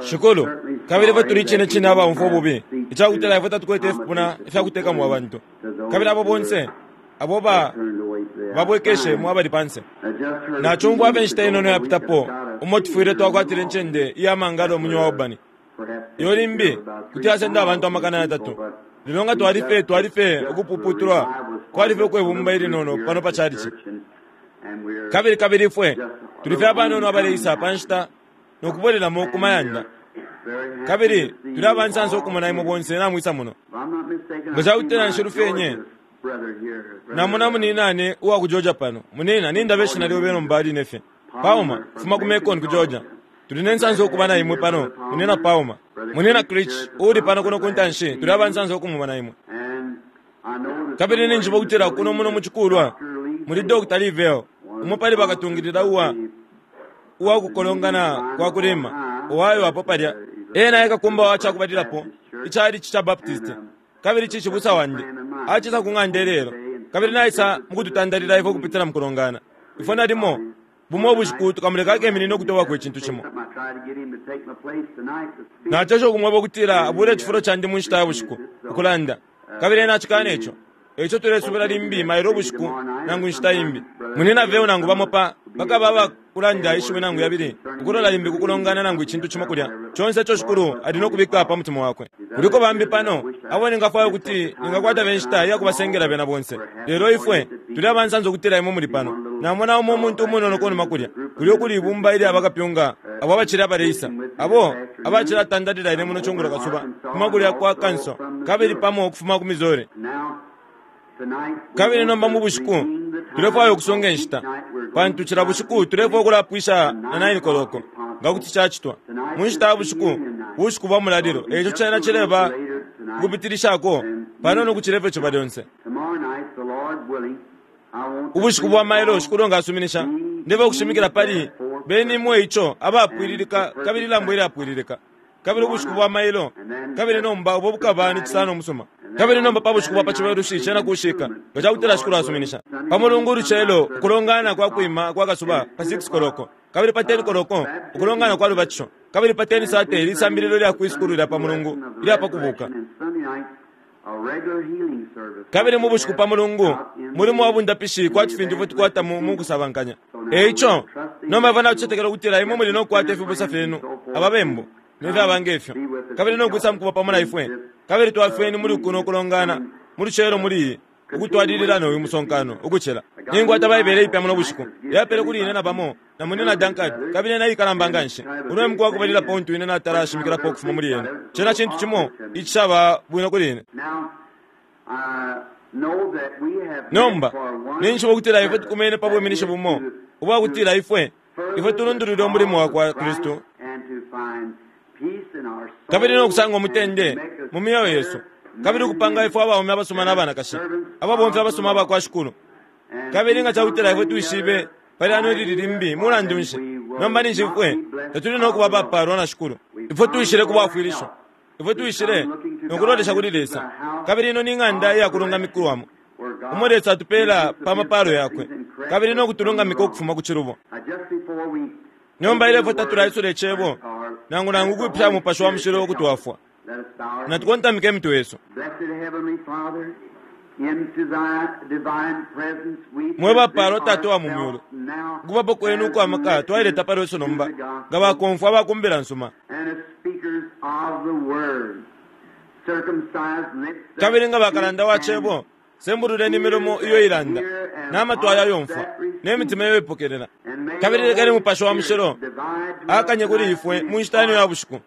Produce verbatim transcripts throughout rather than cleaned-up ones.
Shikulu, kabili ifwe tuli icine cine abaumfwa ububi icakutila ifwe tatukwete ifipuna ifyakutekamo abantu, kabili abo bonse abo ba babwekeshe abali panse. Nacumfwa abe nshita inono yapitapo umo tufwile twakwatile incende iya mangalo mu New Albany. Iyo limbi kuti yasenda abantu amakana yatatu. Lelo nga twalife twalife ukupuputulwa kwalife ukwebumba ilinono pano pa chalichi. Kabili kabili ifwe tulife abanono abaleisa pa nshita nokubwelelamo ku mayanda. Kabili tuli abansansa okumona imwe bonse namwisa muno. Nga cakutila nshilufyenye namona muninane uwa ku Georgia pano. Munina nindabe ishina lyobe nomba line fye. Pauma kufuma ku Macon ku Georgia. Tuli nensansa okuba na imwe pano, munina Pauma. Munina Creech uuli pano kuno ku ntanshi, tuli abansansa okumubona imwe. Kabili ninjiba okutila kuno muno mu cikulwa muli Doctor Livell, umo pali bakatungilila uwa uwa kukolongana kwa kulima Ohio apo palya. Ena ekakumba wa cakubalilapo ichalichi cha Baptist. Kabili chichibusa wandi acisa ku ng'anda ilelo, kabili naisa mukututandalila ifwe ukupitila mukulongana. Ifwe nalimo bumo ubushiku tukamuleka akeminine ukutobako icintu cimo. Nacesha ukumweba ukutila abule icifulo candi mu nshita ya bushiku ukulanda, kabili ena acikana ico. Eico tulesubila limbi mailo ubushiku nangu inshita imbi. Munina veo nangu bamo pa bakaba abakulanda ishiwi nangu yabili ukulola limbi kukulongana nangu icintu cimo kulya. Conse ico Shikulu ali nokubika pa mutima wakwe. Kuliko bambi pano abo ningafwaya ukuti ningakwata be nshita iya kubasengela bena bonse. Lelo ifwe tuli abansansa ukutila imwe muli pano. Namona umo umuntu umunono kunuma kulya. Kulya ukuli ibumba ilya bakapyunga abo abacili abaleisa, abo abacilatandalila ine muno cungulo kasuba kuma kulya kwa Kanso, kabili pamo ukufuma ku Missouri. Kabili nomba mu bushiku tulefwaya ukusunga inshita, pantu cila bushiku tulefwaya ukulapwisha na nine koloko nga kuti cacitwa. Mu nshita ya bushiku, bushiku bwa mulalilo, eico cena cileba ukupitilishako panono ukucila ifyo ciba lyonse. Ubushiku bwa mailo Shikulu nga asuminisha, ndeba ukushimikila pali beni imwe ico abapwililika kabili ilambo ilyapwililika. Kabili ubushiku bwa mailo, kabili nomba ubo bukaba ni cisano umusuma. Kabili nomba pa bushiku bwa pa cibelushi cena kushika nga cakutila Shikulu asuminisha. Pa mulungu ulucelo ukulongana kwa kwima kwa kasuba pa six koloko, kabili pa ten koloko ukulongana kwa lubatisho, kabili pa ten sate lisambililo lya kwisukulu lya pa mulungu ilya pa kubuka. Kabili mu bushiku pa mulungu mulimo wa bundapishi kwati fintu ifwe tukwata mu kusabankanya. Eico nomba ifwe natucetekela ukutila imwe muli nokukwata ifibusa fyenu ababembu nefyaba ngefyo, kabili nokwisa mukuba pamo na ifwe. Kabili twafweni muli kuno kulongana mu lucelo muli iyi ukutwalilila noyu musonkano ukucila. Ninkwata Baibele ipya muno bushiku yapele kuli ine na pamo na munina Duncan, kabili ena ikalamba nganshi. Uno e muku wakubalilapo untu ine natala ashimikilapo ukufuma muli yena. Cena cintu cimo icishaba bwino kuli ine. Nomba ninjishiba ukutila ifwe tukumene pa bwiminishi bumo ubwakutila ifwe ifwe tulundulwile umulimo wakwa Kristu, kabili nokusanga umutende mu myoyo yesu, kabili ukupanga ifwe abaume abasuma n'abanakashi ababomfi abasuma abakwa Shikulu. Kabili nga cakutila ifwe twishibe pali ano ilili limbi mulandu nshi, nomba ninshi ifwe tatuli nokuba abapalwa na Shikulu. Ifwe twishile kubwafwilisho, ifwe twishile nokulolesha kuli Lesa. Kabili ino ni ng'anda iyakulungamikiwamo umo Lesa atupela pa mapalo yakwe, kabili nokutulungamika ukufuma ku cilubo. Nomba ilefwe tatulaisula icebo nangu nangu ukwipusha Mupashi wa Mushilo ukutwafwa. Natukontamike imitwe yesu. Mwe bapalwa Tata wa mu myulu, ukubapo kwenu ukwa maka twaileta pali wesu nomba nga bakomfwa abakumbila nsuma, kabili nga bakalanda wa cebo, sembululeni imilomo iyo ilanda, n'amatwi ayayomfwa, n'emitima iyo ipokelela. Kabili lekeni Mupashi wa Mushilo akanye kuli ifwe mu nshita ino ya bushiku,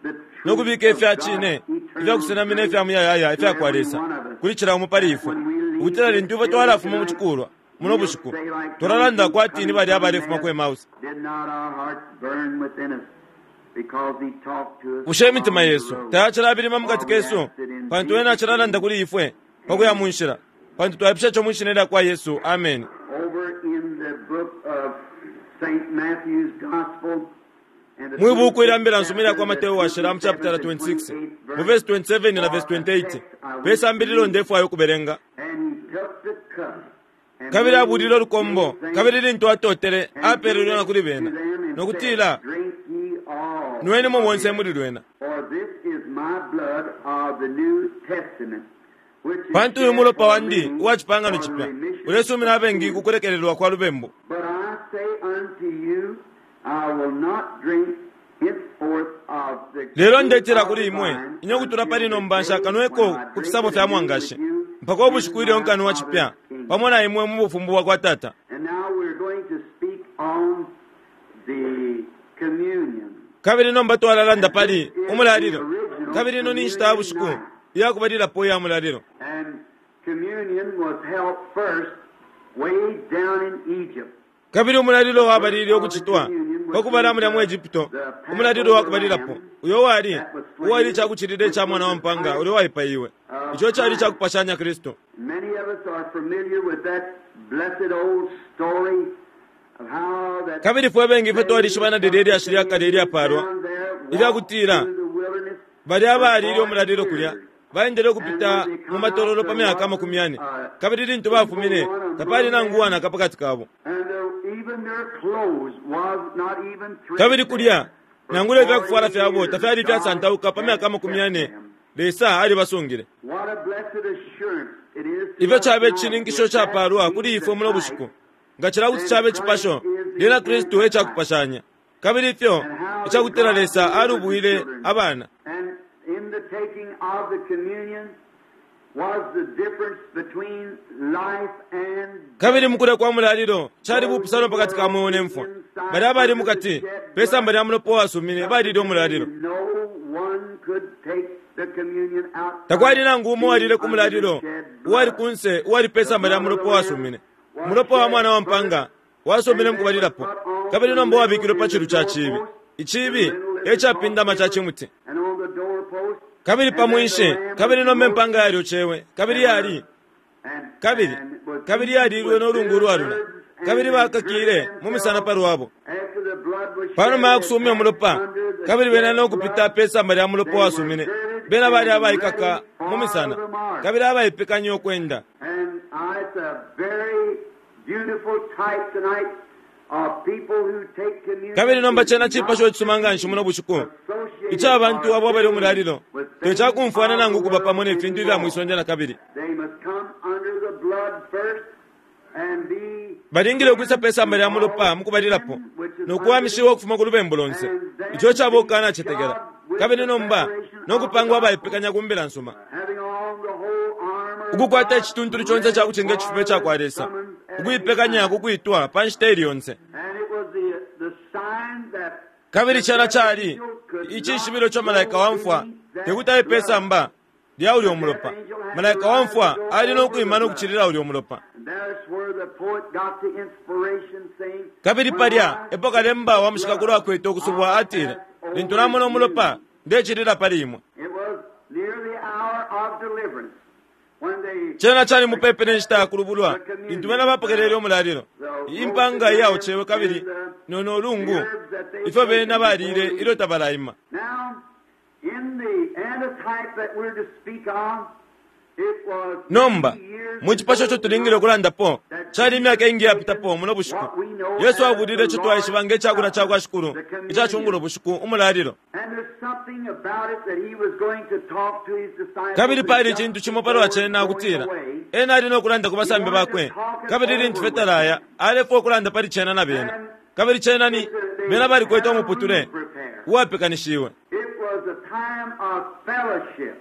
nokubika ifya cine ifyakusenamina ifya muyayaya ifya kwa Lesa kuli cila umo pali ifwe, ukutila lintu ifwe twalafuma mu cikulwa muno bushiku twalalanda kwati ni balya abalefuma ku Emmaus. Bushe imitima yesu tayacilabilima mukati kesu, pantu ena acilalanda kuli ifwe pakuya mu nshila, pantu twaipusha ico mu shina lya kwa Yesu. Amen. Mwi buku ilya mbila nsuma ilya kwa Mateo washila mu chapitala twenty-six mu verse twenty-seven na verse twenty-eight pesambililo ndefwayo ukubelenga. Kabili abulile olukombo, kabili lintu atotele apelelwe na kuli bena, nokutila, Nwenimo bonse muli lwena. For this is my blood of the New Testament, which is Pantu uyu shed mulopa for wandi many uwa cipangano for the cipya remission ulesumina of abengi sins. ku kulekelelwa kwa lubembu. But I say unto you, I will not drink henceforth of the Lelo fruit ndetila of kuli the imwe vine inye kutula pali until the nomba day nshakanweko when I ku drink fisabo it fya anew mwangashi with you mpaka ubushiku in ilyo my nkanwa cipya Father's kingdom. pamo na imwe mu bufumbu bwa kwa Tata. And now we're going to speak on the communion. Kabili nomba twalalanda pali umulalilo. Kabili ino ni nshita ya bushiku iyakubalilapo iya mulalilo. And communion was held first way down in Egypt. Kabili umulalilo wabalile ukucitwa pakubala mulya mu Egypto, umulalilo wakubalilapo uyo wali uwali icakucilila ica mwana wa mpanga ulyo waipaiwe. Ico cali icakupashanya Kristu. Many of us are familiar with that blessed old story of how that Kabili fwe bengi ifwe twalishibana lilya ilyashi lya kale ilyapalwa ilyakutila balya abalile umulalilo kulya baendele ukupita mu matololo pa myaka amakumi yane, kabili lintu bafumine tapali nangu uwanaka pakati kabo. And their, even their clothes was not even Kabili kulya nangula threadbare. ifyakufwala fyabo tafyali ifyasantauka pa myaka amakumi yane, Lesa alibasungile. What a blessed assurance it is to Ifyo us cabe tonight icininkisho if that capalwa be kuli the ifwe muno type, bushiku. Nga cila kuti cabe icipasho, lyena Kristu e cakupashanya. Kabili ifyo icakutila Lesa alubwile abana. And in the taking of the communion was the difference between life and Kabili mukulya kwa mulalilo cali bupusano pakati ka mweo ne mfwa. Balya abali mukati pe samba lya mulopa uwasumine balile umulalilo. No one could take the communion out Takwali nangu umo uwalile ku mulalilo uwali kunse uwali pe samba lya mulopa uwasumine. Umulopa wa mwana wa mpanga wasumine mukubalilapo, kabili nomba wabikilwe pa chilu ca chibi. Ichibi e capindama ca chimuti. and on the doorpost Kabili pa mwinshi, kabili nomba empanga yalyocewe, kabili yali and kabili and was kabili yalilwe n'olungu ulwalula, kabili bakakile mu misana pa lwabo. after the blood was Panuma shed ya kusumya umulopa, under the kabili bena shed n'okupita blood, pe samba lya mulopa wasumine, bena bali abaikaka mu misana, kabili abaipekanya okwenda. And uh, it's a very beautiful type tonight of people who take communion. Kabili nomba cena cipasho icisuma nga nshi muno bushiku ica bantu abo abali umulalilo tecakumfwana nangu kuba pamo ne fintu ifya mwisonde na kabili. They must come under the blood first and be Balingile ukwisa pe samba lya mulopa mukubalilapo nokuwamishiwa ukufuma ku lubembu lonse ico caba ukukanacetekela, kabili nomba nokupangwa abaipekanya ku mbila nsuma, having on the whole armor of ukukwata God, icituntulu conse ica kucinga icifuba ica kwa Lesa, ukuipekanya kukwitwa pa nshita ili yonse. And it was the, the sign that Kabili cena cali icishibilo ca malaika wa mfwa tekuti aye pe samba lya ulya umulopa. Malaika wa mfwa ali nokwima nokucilila ulya umulopa. And there's where the poet got the inspiration saying, Kabili "When palya I epo kalemba wa mushikakulo akwete ukusubwa atile, lintu namona umulopa ndecilila pali imwe. It was near the hour of deliverance when they Cena cali mupepi ne nshita ya kulubulwa lintu bena bapokelele umulalilo. Impanga iyaocewe kabili nono ulungu ifyo bena balile ilyo tabalaima. Now, in the antitype that we're to speak of, it was Nomba many years mu cipasho ico tulingile ukulandapo cali imyaka ingi yapitapo muno bushiku Yesu abulile ico twaishiba nge cakulya ca kwa Shikulu ica cungulo bushiku, umulalilo. And there's something about it that he was going to talk to his disciples Kabili pali just icintu cimo palwa cena before ukutila going away. ena ali nokulanda ku basambi bakwe, kabili lintu fye talaya alefwa ukulanda pali cena na bena. Kabili cena ni bena balikwete umuputule uwapekanishiwe. It was a time of fellowship.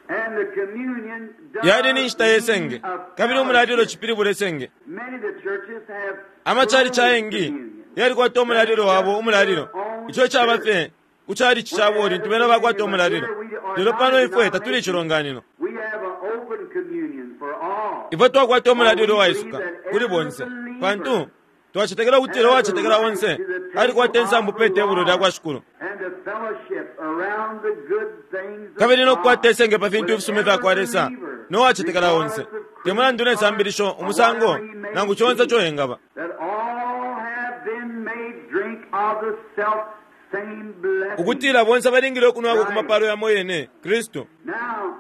And the communion does Yali ni nshita yesenge, mean a kabili umulalilo fellowship. cipilibula esenge. Many of the churches have Amachalichi closed ayengi communion. yalikwata umulalilo wabo umulalilo ico caba fye ku chalichi cabo lintu bena bakwata umulalilo. Lelo pano ifwe tatuli icilonganino, We have an open communion for all. ifwe twakwata umulalilo waisuka kuli bonse, pantu twacetekela ukutila uwacetekela onse alikwata insambu pe tebulo lya kwa Shikulu, And the fellowship around the good things of kabili nokukwata God esenge pa fintu with ifisuma ifya kwa every Lesa believer, nowacetekela onse, regardless of te mulandu ne sambilisho, or umusango whatever he may nangu conse be, ico engaba, that all have been made drink of the self same blessing. ukutila bonse balingile ukunwako ku mapalo yamo yene Kristu. Now,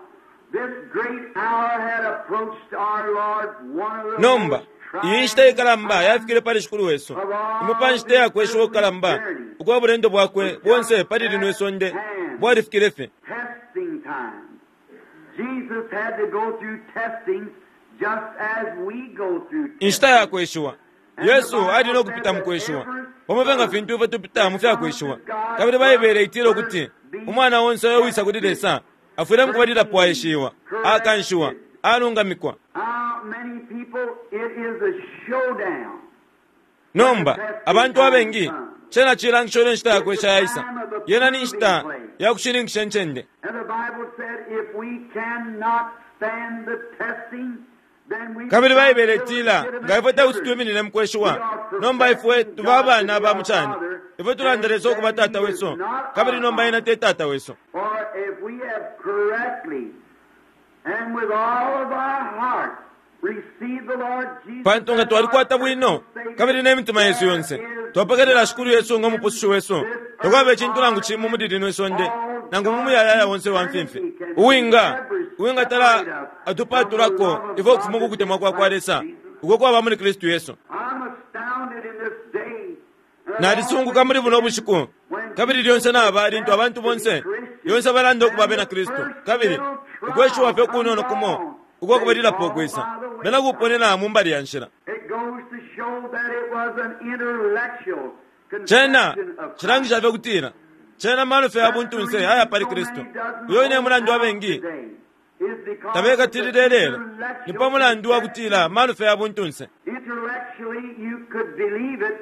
this great hour had approached our Lord, one of the Nomba most iyi nshita ikalamba yafikile pali Shikulu wesu, imo pa nshita yakweshiwa kukalamba ukwa bulendo bwakwe bonse pali lino isonde bwalifikile fye. Testing time. Jesus had to go through testings just as we go through Inshita ya kweshiwa. Yesu ali no kupita mu kweshiwa pamo nga fintu ifwe tupita mu fya kweshiwa. Kabili Baibele itila ukuti umwana onse uyo wisa kuli Lesa afwile mukubalilapo aeshiwa, akanshiwa, alungamikwa. How many people it is a showdown. Nomba abantu abengi cena cilangisho lyo nshita ya kwesha yaisa. Yena ni nshita ya kushininkisha incende. And the Bible said if we cannot stand the testing, then we Kabili become Baibele itila nga ifwe tekuti twiminine mu kweshiwa, nomba ifwe tuba abana ba mu cani, ifwe tulanda Lesa ukuba tata wesu, kabili nomba ena te tata wesu. Or if we have correctly and with all of our heart received the Lord Jesus Pantu nga twalikwata bwino kabili n'emitima yesu yonse twapokelela Shikulu Yesu nga umupusushi wesu, takwaba icintu nangu cimo muli lino isonde nangu mu muyayaya wonse wa mfimfi uwinga uwingatala atupatulako ifwe ukufuma ku kutemwa kwa kwa Lesa uko kwaba muli Kristu Yesu. I'm astounded in this day. Nalisunguka muli buno bushiku kabili lyonse naba lintu abantu bonse lyonse balanda ukuba bena Kristu, kabili ukweshiwa fye kunono kumo uko kubalilapo ukwisa bena kuponena mu mbali ya nshila. It goes to show that it was an intellectual Cena conception of cilangisha fye kutila cena mano fye ya buntunse aya pali Kristu. Uyo ine mulandu abengi tabekatilile lelo ni pa mulandu wa kutila mano fye ya buntunse. Intellectually you could believe it,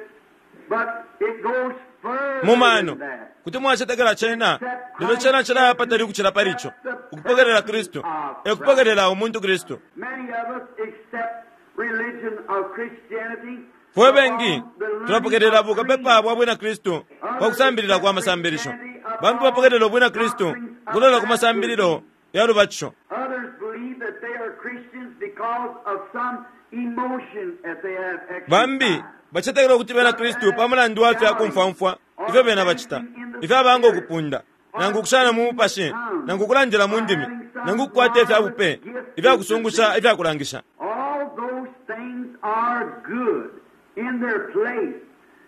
but it goes further Mu mano than that. kuti mwacetekela cena, lelo cena cilaya patali ukucila pali ico ukupokelela Kristu e kupokelela umuntu Kristu. Many of us accept religion of Christianity Fwe bengi tulapokelela bukapepa bwa bwina Kristu pa kusambilila kwa masambilisho. Bambi bapokelela ubwina Kristu kulola ku masambililo ya lubatisho. Others believe that they are Christians because of some emotion that they have Bambi exercised. bacetekela ukuti bena Kristu pa mulandu wa fya kumfwamfwa ifyo bena bacita, ifyo abanga ukupunda, nangu ukushana mu mupashi, nangu ukulandila mu ndimi, nangu ukukwata ifya bupe, ifya kusungusha, ifya kulangisha. All those things are good in their place,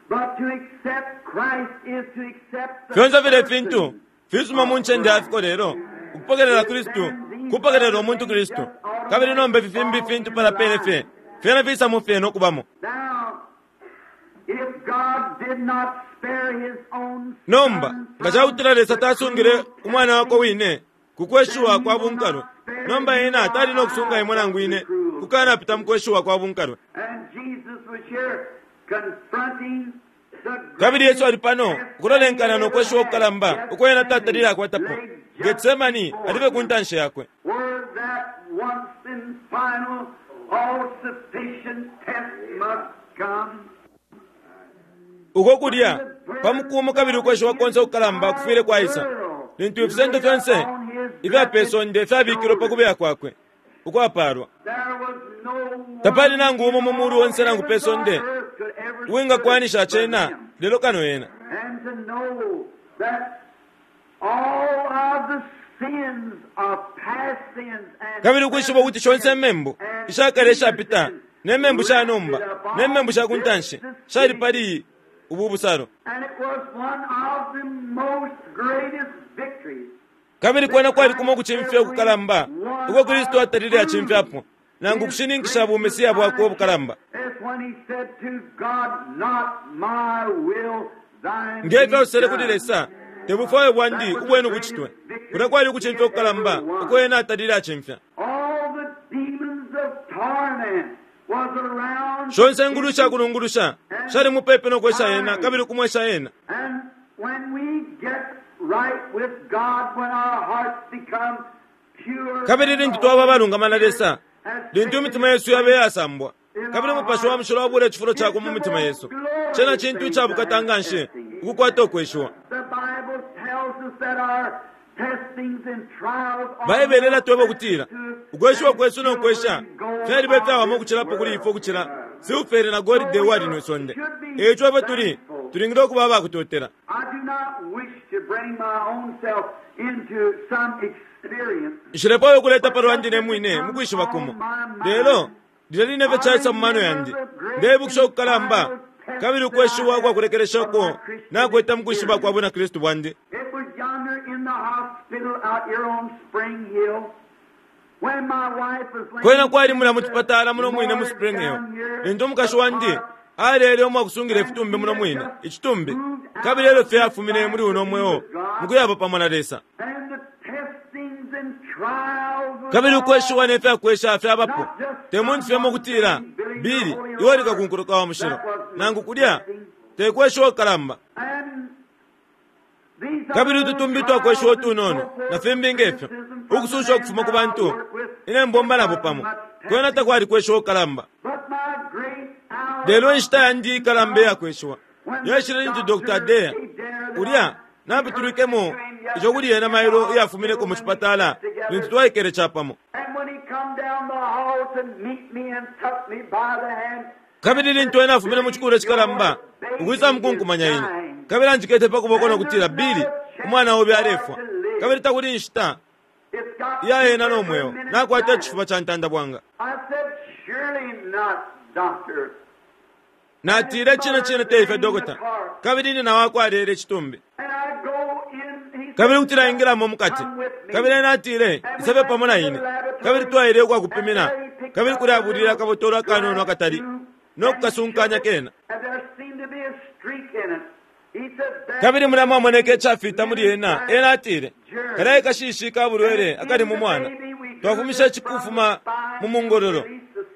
but to accept Christ is to accept the Fyonse file person fintu fisuma mu ncende ya fiko lelo ukupokelela Kristu kupokelela umuntu Kristu. Kabili nomba ifi fimbi fintu palapele fye fyena fisa fye no kubamo. Now, if God did not spare his own Nomba son nga cakutila Lesa tasungile umwana wakwe wine ku kweshiwa kwa bunkalwe, nomba ena tali no kusunga imwe nangu ine kukanapita mu kweshiwa kwa bunkalwe. And Jesus was here confronting the Kabili Yesu ali pano ukulolenkana no kweshiwa okukalamba uko ena tatalile akwatapo. Getsemani alibe ku ntanshi yakwe. Where that once and final all-sufficient test must come. Uko kulya pamukumu kabili ukweshiwa konse okukalamba kufwile kwaisa lintu ifisendo fyonse ifya pe sonde fyabikilwe pa kubeya kwakwe ukwapalwa. There was no one Tapali nangu umo mu mulu onse nangu pe sonde on earth could ever uwingakwanisha stand cena but him. lelo kano ena. And to know that all of the sins of past sins and Kabili ukwishiba ukuti shonse membu ishakale ishapita ne membu sha nomba ne membu sha kuntanshi shali pali ubu busalo. And it was one of the most greatest victories. Kabili kwena kwali kumo kuchimfya okukalamba uko Kristu atalile achimfyapo nangu kushininkisha bumesiya bwakwe obukalamba. That's when he said to God, Not my will, thine Ngefyo be asosele kuli done. Lesa, tebufwayo bwandi ubwenu buchitwe. Kulya kwali ukuchimfya okukalamba uko ena atalile achimfya. All the demons of torment was around. Shonse ngulu shakulungulusha shali mupepe nokwesha ena kabili kumwesha ena. And when we get right with God, when our hearts become pure, Kabili lintu twaba abalungama na Lesa, lintu imitima yesu yabe yasambwa, kabili umupashi wa mushilo wabula icifulo cakwe mu mitima yesu, cena cintu icabukata nga nshi ukukwata ukweshiwa. The Bible tells us that our testings and trials are Baibele ilatweba ukutila to us ukweshiwa kwesu no kwesha fyalibe fyawama ukucilapo kuli ifwe ukucila silfere na golide uwali mwi sonde. Eico ifwe tuli tulingile ukuba abakutotela. I do not wish to bring my own self into some experience. Nshilepo ukuleta palwandi ne mwine mukwishiba kumo, lelo lilya line fye caisa mu mano yandi, ndebukisha ukukalamba Kabili ukweshiwa kwa kulekeleshako nakweta mu kwishiba kwa bwina Kristu bwandi. It was yonder in the hospital out here on Spring Hill when my wife was laying Kwena kwali mulya mu chipatala muno mwine mu Spring Hill lintu umukashi wandi alele umwakusungila ifitumbi muno mwine icitumbi, kabili elyo fye afumine muli uno mweo mukuyaba pamo na Lesa. and the testings and trials was Kabili all ukweshiwa ne fyakwesha fyabapo te muntu fye mukutila bili iwe likakunkuluka wa mushilo nangu kulya te kweshiwa kukalamba. and these Kabili other ututumbi twakweshiwa trials and utunono so forth, na fimbi ngefyo criticism from ukususha the ukufuma ku man bantu I work with, ine mbomba nabo pamo kwena takwali kweshiwa kukalamba. But my great hour Lelo inshita yandi ikalamba iyakweshiwa yaishile lintu Doctor Adair ulya napitulwikemo ico kuli ena mailo iyafumineko mu chipatala lintu twaikele capamo. And when he come down the hall to meet me and took me by the hand, Kabili lintu ena afumine mu chikulu cikalamba ukwisa mukunkumanya ine, kabili anjikete pa kuboko nokutila, Bili, umwana obe alefwa, kabili takuli inshita it's got iya ena no mweo minutes nakwata dying. icifuba ca ntanda bwanga. I said, surely not, doctor. Natile, cine cine teife dokota. Kabili nina wakwe alele icitumbi. And I go in, he Kabili said, kutila ingilamo mukati, come with me. kabili ena atile, isabe pamo na ine. Kabili twaile ukwakupimina, kabili kuli abulile akabotolo akanono akatali nokukasunkanya kena. And there seemed to be a streak in it. He said, "That Kabili mulya mwamoneka icafita muli ena. Ena atile, kalaye kashishi ka bulwele akali mu mwana twafumisha icikufuma mu mungololo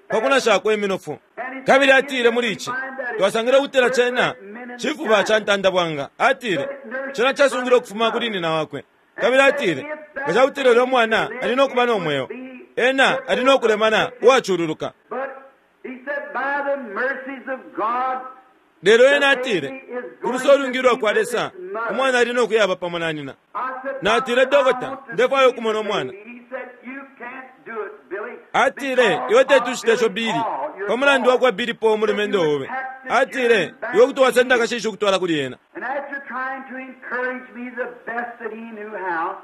pakunashako iminofu. Kabili atile, muli ici twasangile ukutila cena cifuba ca ntanda bwanga. Atile cena casungile ukufuma kuli nina wakwe. Kabili atile nga cakutila ulya mwana ali nokuba no mweo, ena ali nokulemana uwacululuka. But he said, by the mercies of God, Lelo ena atile kulusa olwingi kwa Lesa umwana ali nokuyaba pamo na nina. I said, Natile, "Doctor, I dokota, want to ndefwayo see ukumona the umwana. baby." He said, "You can't do it, Billy, Atile because iwe of tetushite Billy ico Bili Paul, your pamulandu boy." wakwa Bili po umulumendo obe. Atile iwe kuti wasenda akashishi ukutwala kuli ena. And after trying to encourage me the best that he knew how,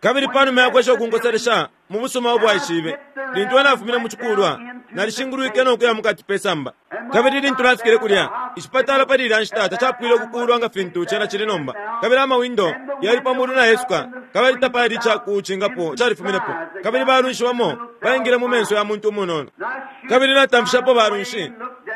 Kabili panuma yakwesha ukunkoselesha mu busuma ubwaishibe lintu ena afumine mu chikulwa nalishingulwike nokuya mukati pe samba. Kabili lintu nafikile kulya icipatala pali ilya nshita tacapwile ukukulwa nga fintu cena cili nomba, kabili amawindo yali pamulu nayesuka, kabili tapali icakucingapo califuminepo, kabili balunshi bamo baingile mu menso ya muntu umunono. Kabili natamfishapo balunshi,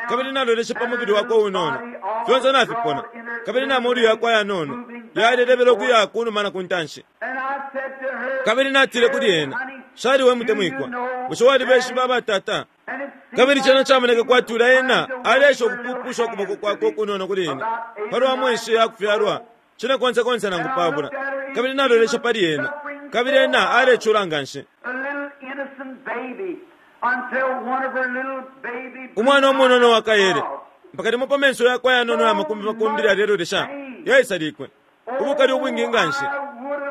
kabili naloleshe pa mubili wakwe unono fyonse nafipona, kabili na molu yakwe ayanono yalelebela ukuya kunuma na kuntanshi. and I said to her, Kabili natile kuli ena, shali we mutemwikwa, bushe walibeshiba abatata? and it seemed Kabili cena like camoneka she was kwati ulya ena trying to alesha wave her little ukupupusha ukuboko hand kwakwe to me. ukunono kuli ine About eight palwa or mwenshi nine yakufyalwa cine konse konse nangu pabula. Kabili nalolesha pali ena, kabili ena alecula nganshi. a little innocent baby until one of her little baby Umwana umunono wakayele eyes mpaka limo pa menso yakwe ayanono ya makumbi makumbi alelolesha yaisalikwe ubukali ubwingi nganshi.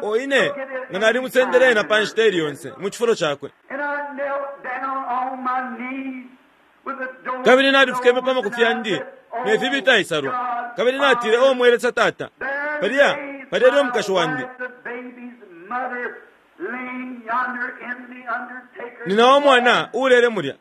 O ine nga nalimusendele ena pa nshita ili yonse mu cifulo cakwe. And I knelt down on my knees with the door Kabili nalifukeme pa makufi yandi ne fibi taisalwa, kabili natile, o mwelesa tata, There palya lays palya ali my umukashi wandi wife, the baby's mother, laying yonder in the undertaker's nina wa mwana uulele mulya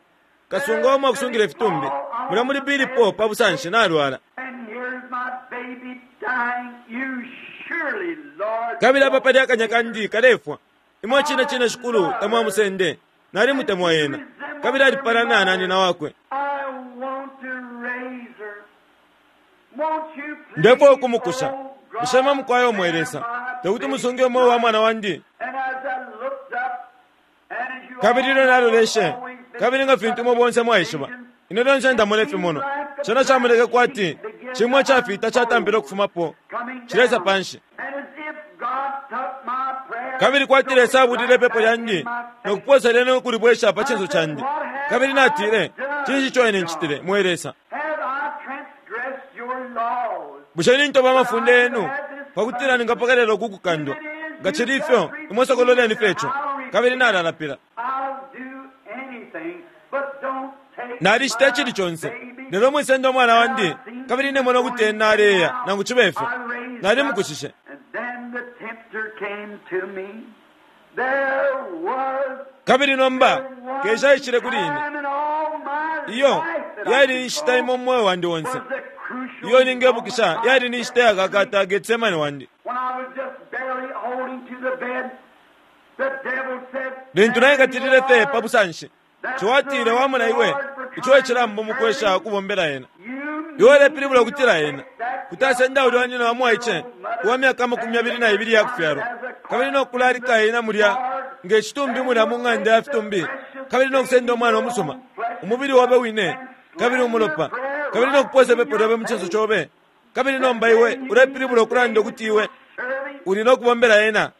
kasunga omwe akusungila ifitumbi mulya muli Bili po pa busanshi nalwala. And here's my baby dying. You surely, Lord, Kabili apa pali akanya kandi kalefwa imwe cine cine shikulu tamwamusende nalimutemwa ena, kabili alipalana na nina wakwe. I want to raise her. Won't you please, Ndefwa ukumukusha oh God, bushe mwamukwayo omwelesa tekuti baby? musunge umwe wa mwana wandi. And as I looked up, and as you Kabili all ilyo naloleshe, always been kabili nga fintu imwe bonse mwaishiba ine lyonse ndamona ifimonwa, cena camoneka kwati cimwe cafita catampile ukufumapo coming cilesa down. panshi. And as if God took my prayer, Kabili kwati Lesa abulile ipepo lyandi in my face. nokuposa lyene ukulibwesha pa cinso candi. Kabili natile, cinshi ico ine ncitile mwe Lesa? Have I transgressed your laws? Bushe nintoba amafunde yenu pakutila ningapokelela ukukukandwa? Nga cili ifyo imwe sokololeni fye ico. Kabili nalalapila. I'll do anything, but don't take Nalicita my icili conse baby. lelo mwisenda umwana wandi, kabili nemona ukuti ena aleya nangu cibe ifyo nalimukushishe. And then the tempter came to me. There was Kabili nomba kesha aishile kuli ine. time in all my Iyo life that I yali could inshita call imo mu mweo wandi onse was the Iyo ningebukisha yali ni nshita yakakata Getsemane wandi. Lintu naikatilile fe pa busanshi, ciwatile wamona iwe ico ecilambo mukwesha ukubombela ena. Iwe ulepilibula ukutila ena kuti asenda ulya nyina wa mwaice uwa myaka amakumi yabili na ibili yakufyalwa, kabili nokulalika ena mulya nge citumbi mulya mu ng'anda ya fitumbi, kabili nokusenda umwana umusuma, umubili wobe wine, kabili umulopa, kabili nokuposa ipepo lyobe mu cinso cobe, kabili nomba iwe ulepilibula ukulanda ukuti iwe uli nokubombela ena.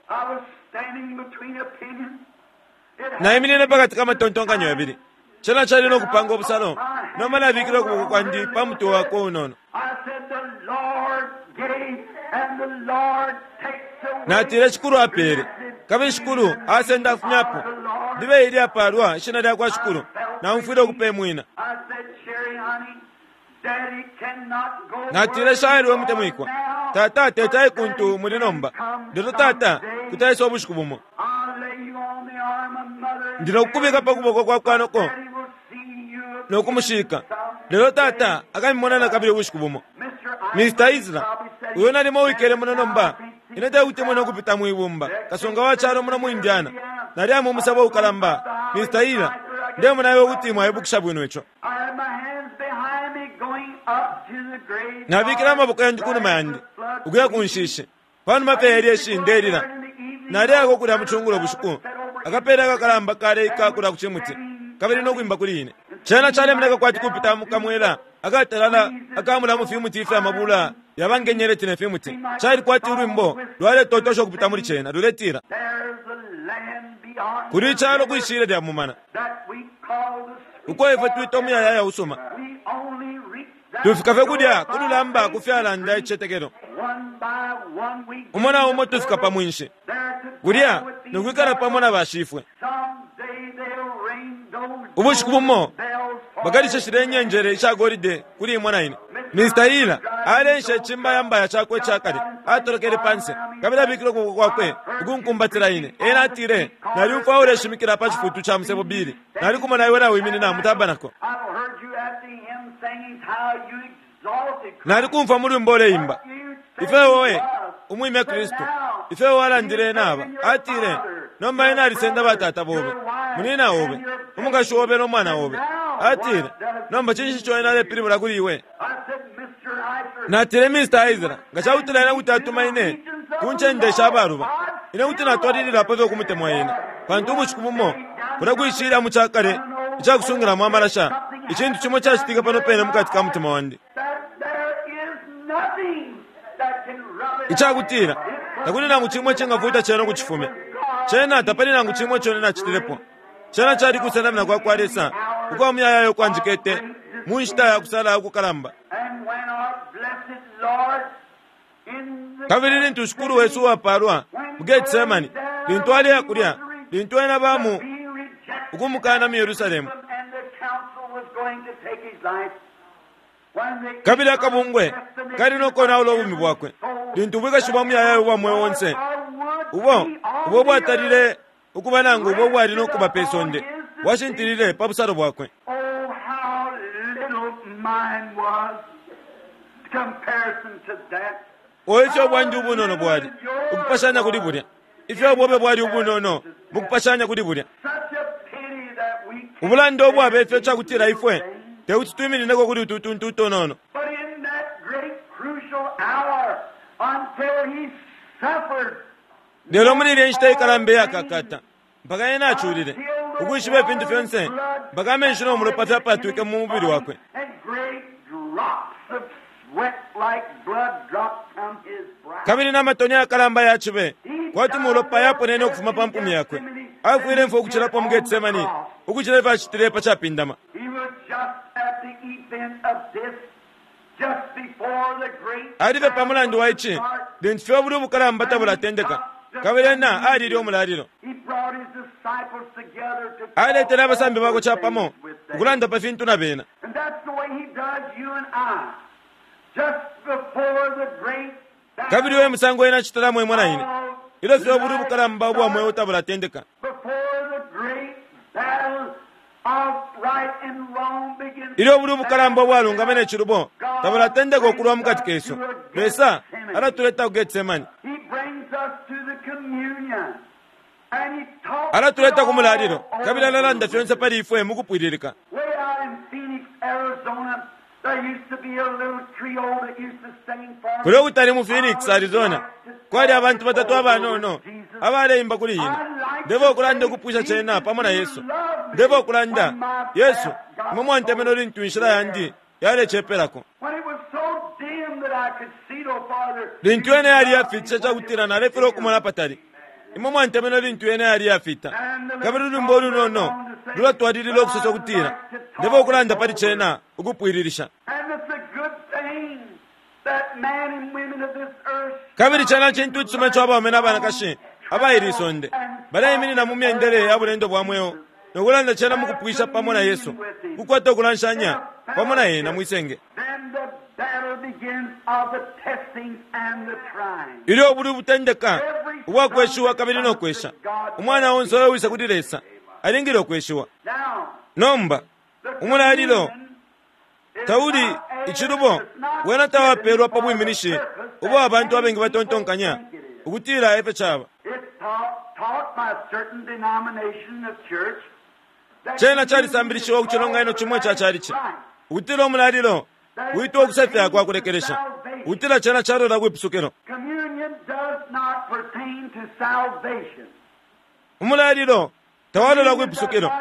Naiminine pakati ka matontonkanyo yabili. Cena cali nokupanga ubusalo, nomba nabikile ukuboko kwandi pa mutwe wakwe unono. Natile Shikulu apele, kabili Shikulu asenda afumyapo. Libe ili apalwa ishina lyakwa Shikulu, naumfwile ukupemwina. Natile shaili we mutemwikwa, tata teta ikuntu muli nomba, lelo tata kutaisa ubushiku bumo. Ndinokukubika pa kuboko kwa kwanoko nokumushika, lelo tata akamimona nakabili ubushiku bumo. Mister Isla, uyo nalimo wikele muno nomba, ine tekuti nokupita mwibumba, kasonga wa calo muno mu Indiana. Nali amu umusabo ukalamba, Mister Ila, ndemona iwe kuti mwaibukisha bwino ico. Nabikile amaboko yandi kunuma yandi, ukuya ku nshishi, panuma fye yelyeshi ndelila. Naliyako kulya mucungulo bushiku, akapela akakalamba kaleika kulya ku cimuti, kabili nokwimba kuli ine. Cena calemoneka kwati kupita mukamwela akatalala akamula mu fimuti ifya mabula yabangenyeleti ne fimuti. Cali kwati ulwimbo lwaletotosha ukupita muli cena luletila, kuli icalo kwishile lya mumana, uko ifwe twita umuyayaya usuma, tufika fye kulya kululamba kufyalanda icicetekelo. Umo na umo tufika pa mwinshi kulya nokwikala pamo na bashifwe. Ubushiku bumo bakalisheshile inyenjere isha golide kuli imwe na ine. Mister Ila alensha icimbayambaya cakwe icakale, atolokele panse, kabili abikile ukuboko kwakwe ukunkumbatila ine. Ena atile, naliumfwa uleshimikila pa cifutu ca musebo bili, nalikumona iwe nawiminina mu tabanako. Nalikumfwa mu lwimbo uleimba, ifyo wowe umwimya Kristu, ifyo walandile naba. Atile, nomba ena alisenda batata bobe, munina obe, umukashi obe nomwana obe. Atile, nomba cinshi ico ena alepilibula kuli iwe? Natile, Mister Isla, nga cakutila ena kuti atuma ine ku ncende sha baluba, ine kuti natwalililapo fye ukumutemwa ena, pantu ubushiku bumo kulya kwishilya mu cakale icakusungilamo amalasha, icintu cimo cacitika pano pene mukati ka mutima wandi. Icakutila takuli nangu cimwe cingafuta cena ukucifumya. Cena tapali nangu cimwe ico nacitilepo. Cena cali kusenamina kwa kwa Lesa ukwa muyayaya ukwanjikete mu nshita ya kusala ukukalamba. Kabili lintu Shikulu wesu uwapalwa mu Getsemani, lintu aleya kulya, lintu ena bamu ukumukana mu Yerusalemu, kabili akabungwe kali nokonaula ubumi bwakwe, lintu ubwikashi bwa muyayaya ubwa mweo onse ubo ubo bwatalile ukuba nangu ubo bwali nokuba pe sonde bwashintilile pa busalo bwakwe. Oyo ifyo bwandi ubunono bwali ukupashanya kuli bulya, ifyo bwobe bwali ubunono mukupashanya kuli bulya. Ubulanda ubwaba ifyo cakutila ifwe tekuti twiminineko kuli utu tuntu utonono. Lelo muli ilya nshita ikalamba iyakakata, mpaka ena aculile ukwishiba ifintu fyonse, mpaka amenshi no mulopa fyapatwike mu mubili wakwe, kabili n'amatoni ayakalamba yacibe kwati mulopa yaponene ukufuma pa mpumi yakwe. Afwile mfwa ukucilapo mu Getsemani ukucila ifyo acitile pa capindama. Alife pa mulandu wa ici lintu fye ubuli ubukalamba tabulatendeka, kabili ena alile umulalilo. Aletele abasambi bakwe capamo ukulanda pa fintu na bena. Kabili uyo musango ena acitalamo imwe na ine, ilyo fye ubuli ubukalamba ubwa mweo tabulatendeka, ilyo ubuli ubukalamba ubwalungama ne cilubo tabulatendeka ukulwa mukati kesu. Lesa alatuleta ku Getsemani, alatuleta ku mulalilo, kabili alalanda fyonse pali ifwe mukupwililika. Kulya ukutali mu Phoenix, Arizona, kwali abantu batatu abanono abaleimba kuli ine. Ndeva ukulanda ukupwisha cena pamo na Yesu. Ndeva ukulanda, Yesu, imwe mwantemenwe lintu inshila yandi yalecepelako. Lintu yena yali yafitisha cakutila nalefilwa ukumona patali. Imwe mwantemenwe lintu yena yali yafita. Kabili ulwimbo ulunono lulatwalilila ukusosa ukutila, ndeva ukulanda pali cena ukupwililisha. Kabili cena cintu icisuma ico abaume na banakashi abaili isonde baleiminina mu myendele ya bulendo bwa mweo nokulanda cena mukupwisha pamo na Yesu, kukwata ukulanshanya pamo na yena mwisenge. Ilyo ubulwi butendeka ubwakweshiwa kabili nokwesha, umwana onse uyo kuli Lesa alingile ukweshiwa. Nomba umulalilo tauli icilubo, wena tawapelwa pa bwiminishi ubo abantu abengi batontonkanya ukutila efyo caba. Cena calisambilishiwa ku cilonganino cimwe ca calici ukutila umulalilo witwa ukusefya kwa kulekelesha, ukutila cena calola kwipusukilo. Umulalilo tawalola kwipusukilo.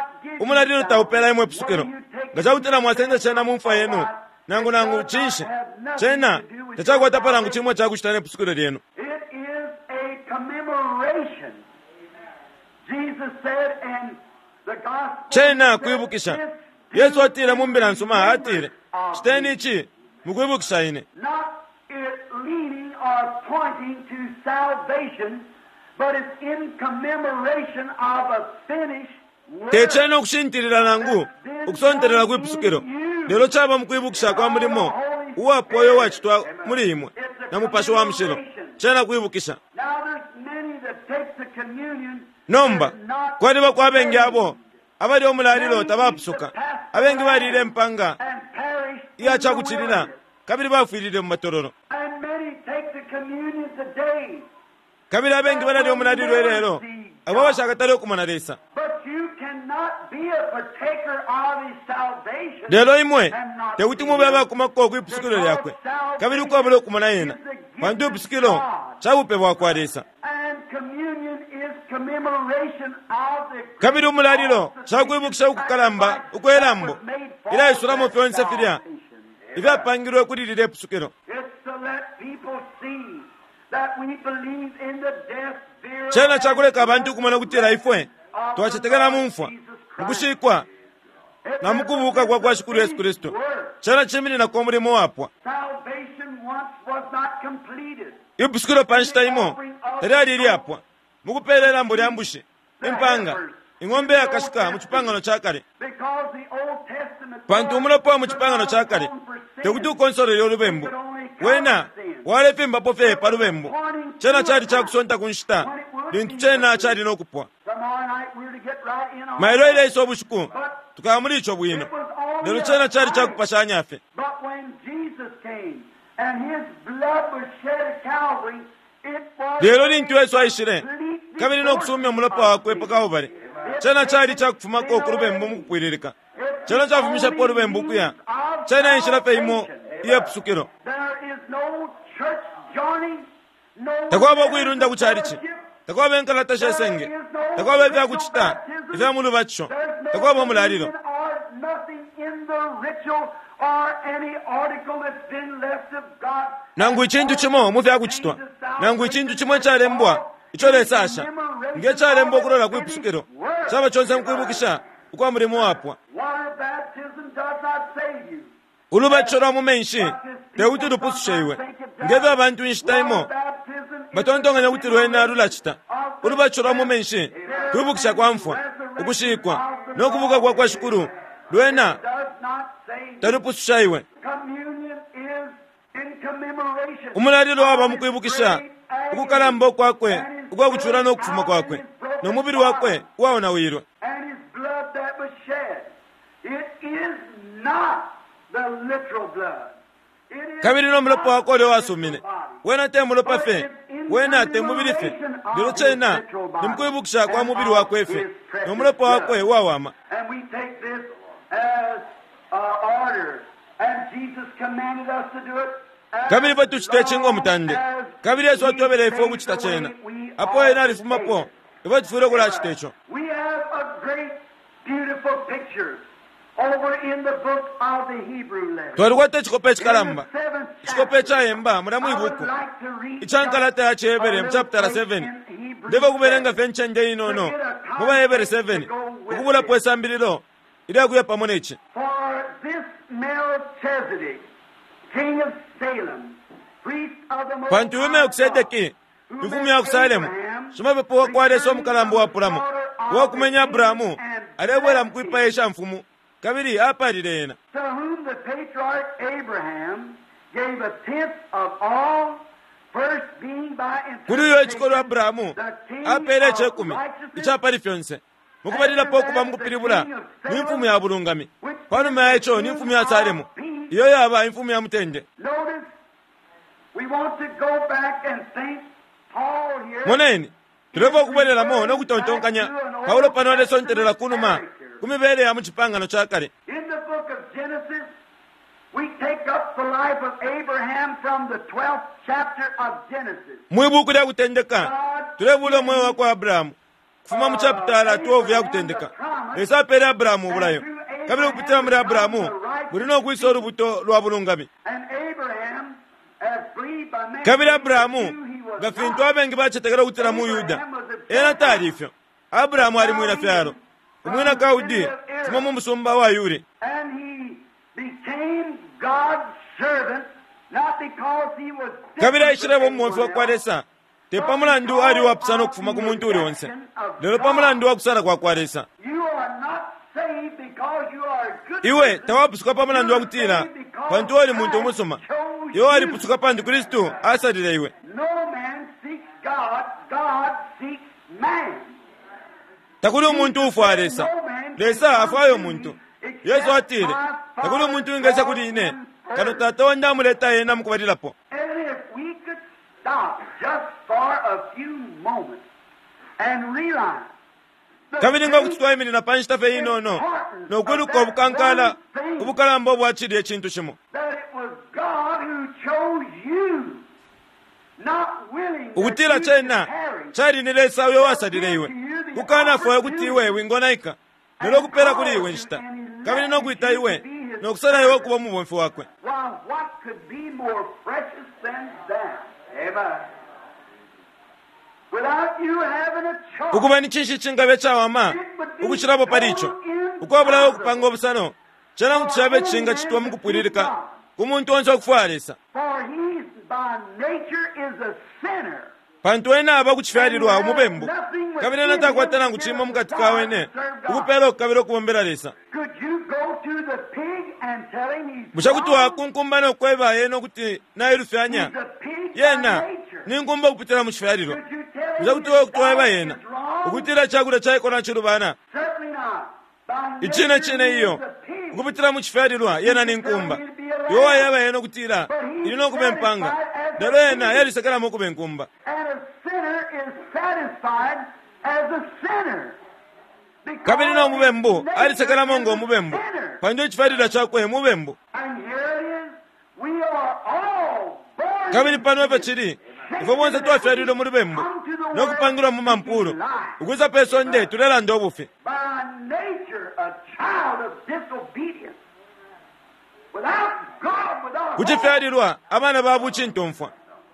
Umulalilo taupela imwe ipusukilo. Nga cakutila mwasenda cena mu mfwa yenu, nangu nangu cinshi, cena tacakwatapo nangu cimwe cakucita nepusukilo lyenu. Cena kwibukisha. Yesu atile mu mbila nsuma, atile, citeni ici mukwibukisha ine. Tecena ukushintilila nangu ukusontelela kwipusukilo, lelo caba mukwibukisha kwa mulimo uwapwa uyo wacitwa muli imwe na Mupashi wa Mushilo. Cena kwibukisha. Nomba kwaliba kwa abengi abo abali omulalilo tabapusuka. Abengi balile impanga iya cakucilila kabili bafwilile mu matololo. Kabili abengi balalya omulalilo ilelo abo abashakatale ukumona Lesa. Lelo imwe tekuti mube abakumako kwipusukilo lyakwe kabili ukwabula ukumona yena, pantu ipusukilo cabupe bwakwa Lesa. Kabili umulalilo cakwibukisha ukukalamba ukwelambo ilaisulamo fyonse filya ifyapangilwe kuli lilya ipusukilo. Cena cakuleka abantu ukumona ukutila ifwe twacetekela mu mfwa, mukushikwa na mukubuka kwa kwa Shikulu Yesu Kristu. Cena cimininako umulimo wapwa. Ipusukilo pa nshita imo talyali ilyapwa mukupela ilambo lya mbushi, impanga, ing'ombe yakashika mu cipangano ca kale. Pantu umulopa wa mu cipangano ca kale tekuti ukonsolele ulubembu, wena walefimbapo fye pa lubembu. Cena cali cakusonta ku nshita lintu cena cali nokupwa. Mailo ileisa ubushiku tukaba muli ico bwino, lelo cena cali cakupashanya fye. Lelo lintu Yesu aishile kabili nokusumya umulopa wakwe pa Kalbale, cena cali cakufumako ku lubembu mukupwililika. Cena cafumishapo ulubembu ukuya. Cena enshila fye imo iyepusukilo. Takwaba ukuilunda ku calici, takwaba inkalata she senge, takwaba ifyakucita ifya mu lubatisho, takwaba umulalilo. Nangu icintu cimo mu fyakucitwa, nangu icintu cimo icalembwa ico Lesa asha nge calembwa ukulola kwipusukilo, caba conse mukwibukisha ukwa mulimo wapwa. Ulubatisho lwa mu menshi tekuti lupusushe iwe, ngefyo abantu inshita imo batontonkanya ukuti lwena lulacita. Ulubatisho lwa mu menshi kwibukisha kwa mfwa, ukushikwa no kubuka kwa kwa Shikulu, lwena talupususha iwe. Umulalilo waba mukwibukisha ukukalamba kwakwe ukwa kucula no kufuma kwakwe no mubili wakwe uwaonawilwe. Kabili no mulopa wakwe ulya wasumine, wena te mulopa fye, wena te mubili fye, lelo cena ni mukwibukisha kwa mubili wakwe fye no mulopa wakwe uwawama. And we take this as uh, order. And Jesus commanded us to do it. As Kabili ifwe tucita ici ngo mutande, long as kabili Yesu atwebele ifwe he ukucita stays the cena. way we Apo ought ena to alifumapo, take it. ifwe tufwile ukulacita ico. We have a great, beautiful picture over in the book of the Hebrew letter. Twalikwata icikope icikalamba, In the seventh icikope chapter, icayemba mulya I would mwibuku like to read ica nkalata ya just a ciHebere mu little chapter place seven. in Hebrews Ndefwa kubelenga seven. fye ncende inono mu baHebere seven, ukubulapo isambililo ilyakuya pamo neci. For this Melchizedek, king of Salem, priest of the Most Pantu uyu High Melkisedeki, God, who imfumu met ya ku Salemu, Abraham, shimapepo wa kwa Lesa returning umukalamba from the uwapulamo, slaughter of uwakumenya the Abrahamu, king and alebwela mu blessed kwipaya him, ishamfumu, kabili apalile ena. to whom the patriarch Abraham gave a tenth of all, first being by Kuli uyo icikolwe interpretation Abrahamu the king apeele of icekumi righteousness, icapali fyonse, mukubalilapo ukuba mukupilibula ni mfumu ya bulungami, panuma ya ico ni mfumu ya Salemu, iyo yaba imfumu ya mutende. Notice, we want to go back and think Paul here Moneni, tulefwa ukubwelelamo no kutontonkanya Paulo pano alesontelela kunuma ku mibele ya mu cipangano ca kale. In the book of Genesis, we take up the life of Abraham from the twelfth chapter of Genesis. Mwi buku lya kutendeka tulebula umweo wa kwa Abrahamu kufuma mu chapitala twelve ya kutendeka. Lesa apeele Abrahamu ubulayo, kabili ukupitila muli Abrahamu muli no kwisa ulubuto lwa bulungami. And Abraham, as believed by many, Kabili Abrahamu, Jew he was nga fintu not. abengi bacetekela ukutila mu Yuda, ena tali ifyo. Abrahamu ali mwina fyalo, umwina Kaudi, kufuma mu musumba wa Yuri. And he became God's servant, not because he was Kabili different aishileba from umubomfi wa anyone kwa else, Lesa, te pa mulandu ali uwapusana ukufuma ku muntu uli onse, lelo pa mulandu wa kusala kwa kwa Lesa. You are not saved because you are a good Iwe person. tawapusuka pa mulandu wa You are kutila saved because pantu oli muntu Christ umusuma. chose Iwe you. walipusuka pantu Kristu asalile iwe. No man seeks God, God seeks man. Takuli umuntu ufwaya Lesa, Lesa afwaya umuntu. Yesu atile, takuli umuntu wingesa kuli ine, kano Tata wandi amuleta ena mukubalilapo. And if we could stop just for a few moments and realize the Kabili nga kuti great twaiminina pa nshita fye inono no kwiluka ubukankala ubukalamba ubwacilile icintu cimo, that it was God who chose you, not willing that ukutila you should cena perish, cali ni Lesa uyo wasalile iwe, kukanafwaya ukuti iwe wingonaika, lelo kupela kuli iwe nshita, kabili no kwita iwe no kusala iwe ukuba umubomfi wakwe. Why, what could be more precious than that? Amen. Without you having a choice, Ukuba ni cinshi cingabe cawama ukucilapo pali ico, ukwabulayo ukupanga ubusano, cena kuti cabe cingacitwa mu kupwililika ku muntu onse ukufwaya Lesa, for he by nature is a sinner. pantu ena aba kucifyalilwa umubembu, kabili ena takwata nangu cimo mukati ka wene ukupela ukukabila ukubombela Lesa. Could you go to the pig and tell him he's Bushe kuti wrong? wakunkumba no kweba ena ukuti nailufyanya? He's a pig by Yena nature. ni nkumba ukupitila mu cifyalilwa. Could you tell Bushe him kuti his wakutweba diet yena is wrong? ukutila cakulya caiko nacilubana? Certainly not. By Icine nature cine he iyo is a pig. ukupitila mu cifyalilwa yena ni nkumba. Iwe wayeba yena ukutila ili no kuba impanga, lelo yena yalisekelamo ukuba inkumba. And a sinner is satisfied as a sinner. Because Kabili no mubembu his nature alisekelamo is ngo a mubembu, sinner. pantu icifyalilwa cakwe mubembu. And here it is. We are all born Kabili pano in epo cili, ifwe bonse twafyalilwe mu lubembu no kupangilwa mu mampulu, ukwisa pe sonde tulelanda ubufi. By nature, a child of disobedience. Without God, without Ku hope, cifyalilwa abana ba bucintomfwa,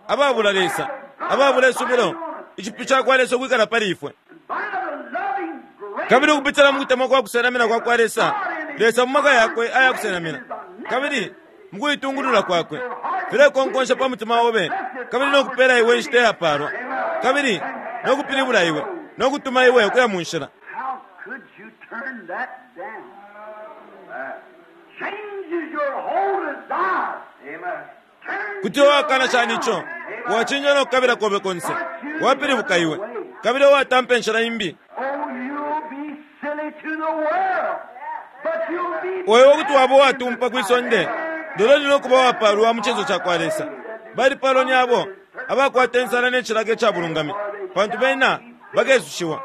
ababula Lesa, ababula isubilo, icipyu ca kwa Lesa ukwikala pali ifwe. by the loving grace Kabili ukupitila mu kutemwa kwa kusenamina kwa kwa Lesa, Lesa mu maka yakwe aya kusenamina, kabili mukuitungulula kwakwe filekonkonsha pa mutima obe, kabili no kupela iwe inshita iyapalwa, kabili no kupilibula iwe no kutuma iwe ukuya mu nshila. How could you turn that down? Changes your whole desire. Amen. Turns Kuti you wakana shani ico around. wachinja no kukabila kobe konse, wapilibuka iwe kabili watampa enshila imbi. Oh, you'll be silly to the world, but you'll be Wewe kuti waba watumpa kwi sonde, Lelo ndi nokuba wapalwa mu cinso cakwa Lesa. Balipalwa ni abo abakwata insala ne cilaka ica bulungami, pantu bena bakesushiwa.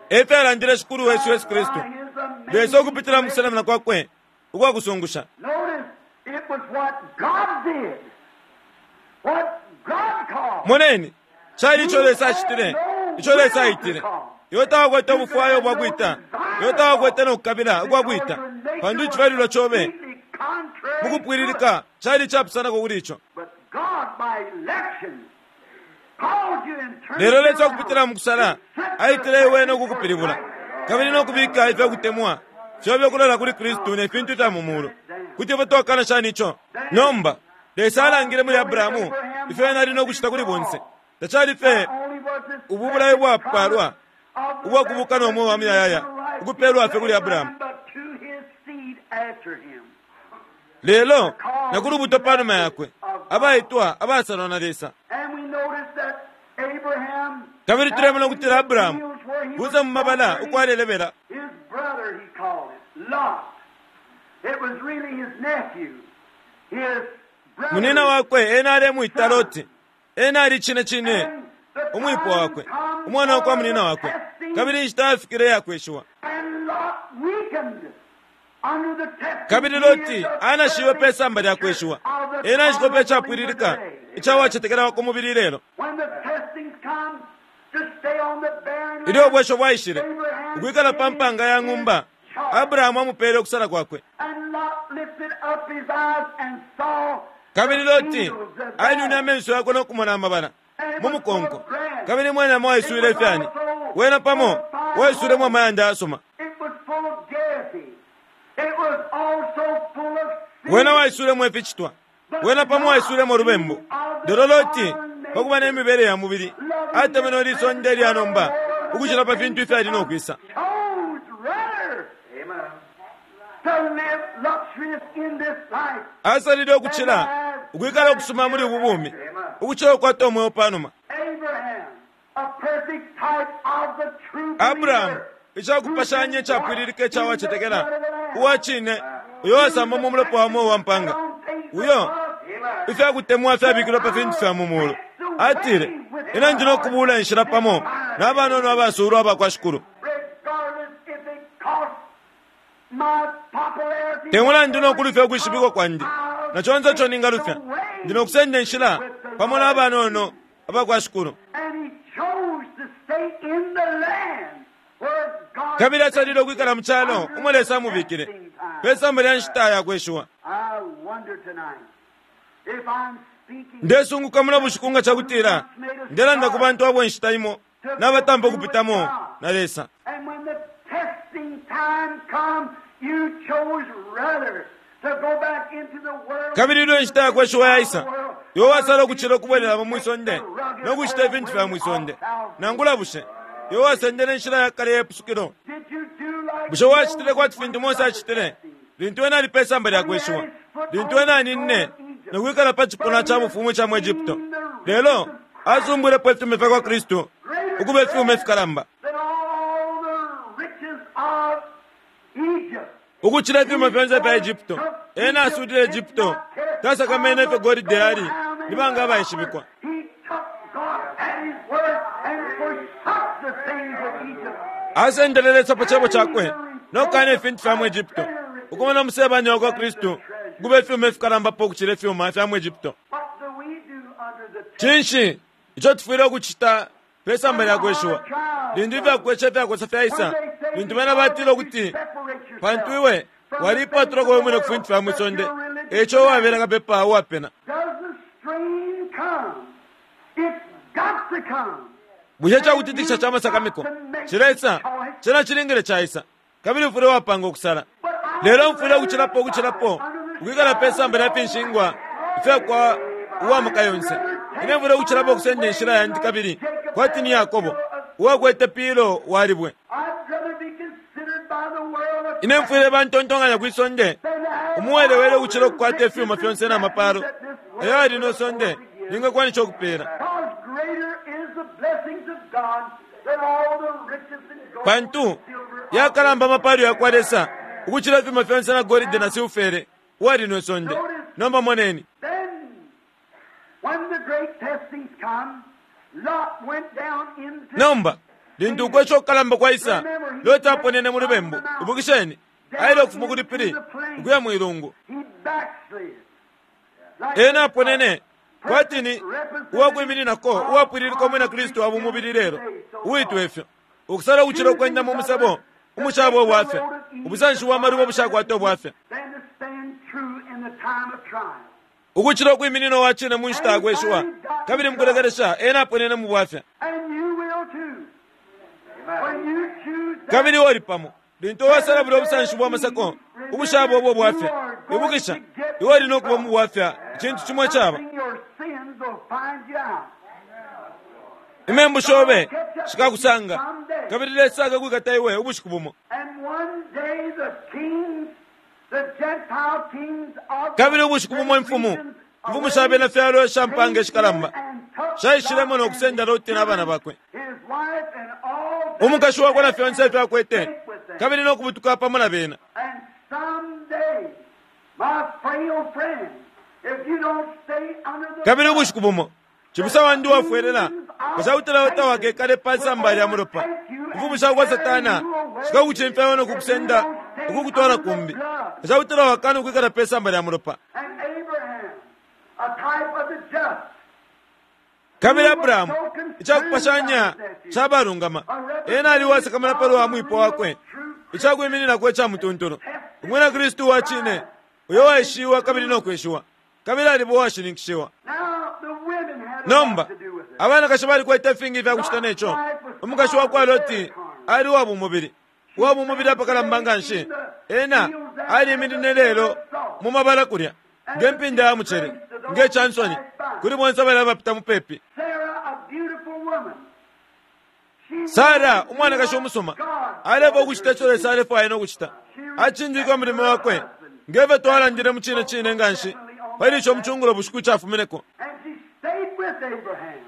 Efyalandile Shikulu wesu Yesu Kristu. Lesa ukupitila mu kusenamina kwakwe ukwakusungusha. Moneni, cali ico Lesa acitile, ico Lesa aitile. Iwe tawakwete ubufwayo bwakwita, iwe tawakwete nokukabila ukwakwita, pantu icifyalilwa cobe mukupwililika cali icapusanako kuli ico. Lelo Lesa ukupitila mukusala aitile iwe nokukupilibula, kabili nokubika ifyakutemwa fyobe ukulola kuli Kristu ne fintu ifya mu mulu. Kuti ifwe twakana shani ico? Nomba Lesa alangile muli Abrahamu ifyo ena ali nokucita kuli bonse. Tacali fye ubu bulayo bwapalwa ubwakubuka no mweo wa muyayaya ukupelwa fye kuli Abrahamu, lelo na ku lubuto panuma yakwe, abaitwa abasalwa na Lesa. Kabili tulemona ukutila Abrahamu kuza mu mabala ukwalelebela. Munina wakwe ena alemwita Loti. Ena ali cine cine umwipo wakwe, umwana wakwa munina wakwe. Kabili inshita yafikile yakweshiwa. Kabili Loti anashiwe pe samba lya kweshiwa. Ena icikope icapwililika icawacetekela wa ku mubili lelo. Ilyo ubwesho bwaishile ukwikala pa mpanga ya ng'umba, Abrahamu amupele ukusala kwakwe. Kabili Loti ainwine amenso yakwe nokumona amabala mu mukonko, kabili mwenamo waiswile ifyani, wena pamo waiswilemo amayanda ayasuma. Wena waiswilemo ificitwa, wena pamo waiswilemo ulubembu. Lelo Loti, pakuba ne mibele ya mubili, atemenwe lisonde lya nomba ukucila pa fintu ifyali nokwisa. Asalile ukucila ukwikala ukusuma muli ubu bumi, ukucila ukukwata umweo panuma. Abrahamu, icakupashanya icapwililika icawacetekela uwa cine, uyo wasamba mu mulopa wa mweo wa mpanga, uyo ifyakutemwa fyabikilwe pa fintu fya mu mulu, atile, ine ndi nokubula inshila pamo na banono abasulwa abakwa Shikulu. Te mulandu nokulufya ukwishibikwa kwandi na conse ico ningalufya, ndi nokusenda inshila pamo na banono abakwa Shikulu. Kabili asalile ukwikala mu calo umo Lesa amubikile pe samba lya nshita yakweshiwa. Ndesunguka muno bushiku nga cakutila ndelanda ku bantu abo inshita imo nabatampa ukupitamo na Lesa. Kabili ilyo inshita yakweshiwa yaisa, iwe wasala ukucila ukubwelelamo mwisonde nokucita ifintu fya mwisonde. Nangula bushe iwe wasendele inshila ya kale yepusukilo? Bushe wacitile kwati fintu Mose acitile lintu ena ali pe samba lya kweshiwa, lintu ena aninine nokwikala pa cipuna ca bufumu ica mu Egypto? Lelo asumbwilepo ifyuma fya kwa Kristu ukuba ifyuma ifikalamba ukucila ifyuma fyonse fya Egypto. Ena asulile Egypto, tasakamene ifyo golide yali ni banga abaishibikwa. Asendele Lesa pa cebo cakwe nokukana ifintu fya mu Egypto, ukumona umusebanya wakwa Kristu ukuba ifyuma ifikalambapo ukucila ifyuma fya mu Egypto. Cinshi ico tufwile ukucita pe samba lya kweshiwa lintu ifyakwesha ifyakosa fyaisa, lintu bena batile ukuti pantu iwe walipatulako we mwine ku fintu fya mwisonde, eco wabela kapepa uwapena? Bushe cakutitikisha ca masakamiko cilesa? Cena cilingile caisa, kabili mfwile wapanga ukusala. Lelo mfwile ukucilapo ukucilapo ukwikala pe samba lya finshingwa ifyakwa uwa maka yonse. Ine mfwile ukucilapo ukusenda inshila yandi kabili kwati ni Yakobo uwakwete pilo walibwe. Ine mfwile bantontonkanya kwi sonde umuwelewele ukucila ukukwata ifyuma fyonse na mapalo ayo ali no sonde lingakwanisha ukupela. Pantu yakalamba amapalo yakwa Lesa Ukucila ifyuma fyonse na golide na silfere uwali ne sonde. Nomba moneni. Then, when the great testings come, Lot went down into Nomba lintu ukwesha okukalamba kwaisa, Loti aponene mu lubembu. Ibukisheni, aile ukufuma kuli pili ukuya mwilungu. He backslid. Like Ena aponene kwatini uwakwimininako uwapwililika umwina Kristu aba umubili lelo uitwa ifyo ukusala ukucila ukwenda mu musebo umushaba obwafya ubusanshi bwa maluba bushakwata obwafya than to stand true in the time of trial. ukucila ukwiminina owacine mu nshita yakweshiwa kabili mukulekelesha ena aponene mu bwafya. And you will too. When you choose that, Kabili oli pamo lintu owasala buli obusanshi bwa masako ubushaba obwo bwafya ibukisha iwe oli nokuba mu bwafya icintu chimwe chaba something your sins will find you out. imembu shobe shikakusanga kabili Lesa akakwikata iwe ubushiku bumo. And one day the kings, the Gentile kings of Kabili ubushiku bumo imfumu imfumu shabena fyalo shampanga eshikalamba shaishilemo nokusenda Loti n'abana bakwe his wife and all umukashi wakwe na fyonse ifyo akwete kabili nokubutuka pamo na bena. And someday, my frail friend, if you don't stay under the Kabili ubushiku bumo cibusa wandi wafwelela kashautela otawakekale pasamba lya mulopa imfumu shakwa Satana shikakucimfyayo nokukusenda ukukutwala kumbi kashautela wakana ukwikala pesamba lya mulopa. And Abraham, a type of the just, Kabili Abrahamu icakupashanya cabalungama ena ali uwasakamana palwa mwipo wakwe icakwimininako ica mutuntulu umwina Kristu wa cine uyo waishiwa kabili nokweshiwa kabili aliba uwashininkishiwa. Now the women had a Nomba lot to do with it. abanakashi balikwete ifingi ifyakucita neco. Umukashi wakwa Loti ali uwa bumubili uwa bumubili apakalamba nganshi. Ena aliminine lelo mu mabala kulya ngempinda ya mucele ngecansoni kuli bonse abali abapita mupepi. Sarah, a beautiful woman. She Sara umwanakashi umusuma aleva ukucita ico Lesa alefwaya nokucita acindika umulimo wakwe ngefyo twalandile mu cine cine nganshi pali ico mucungulo bushiku icafumineko. And she stayed with Abraham,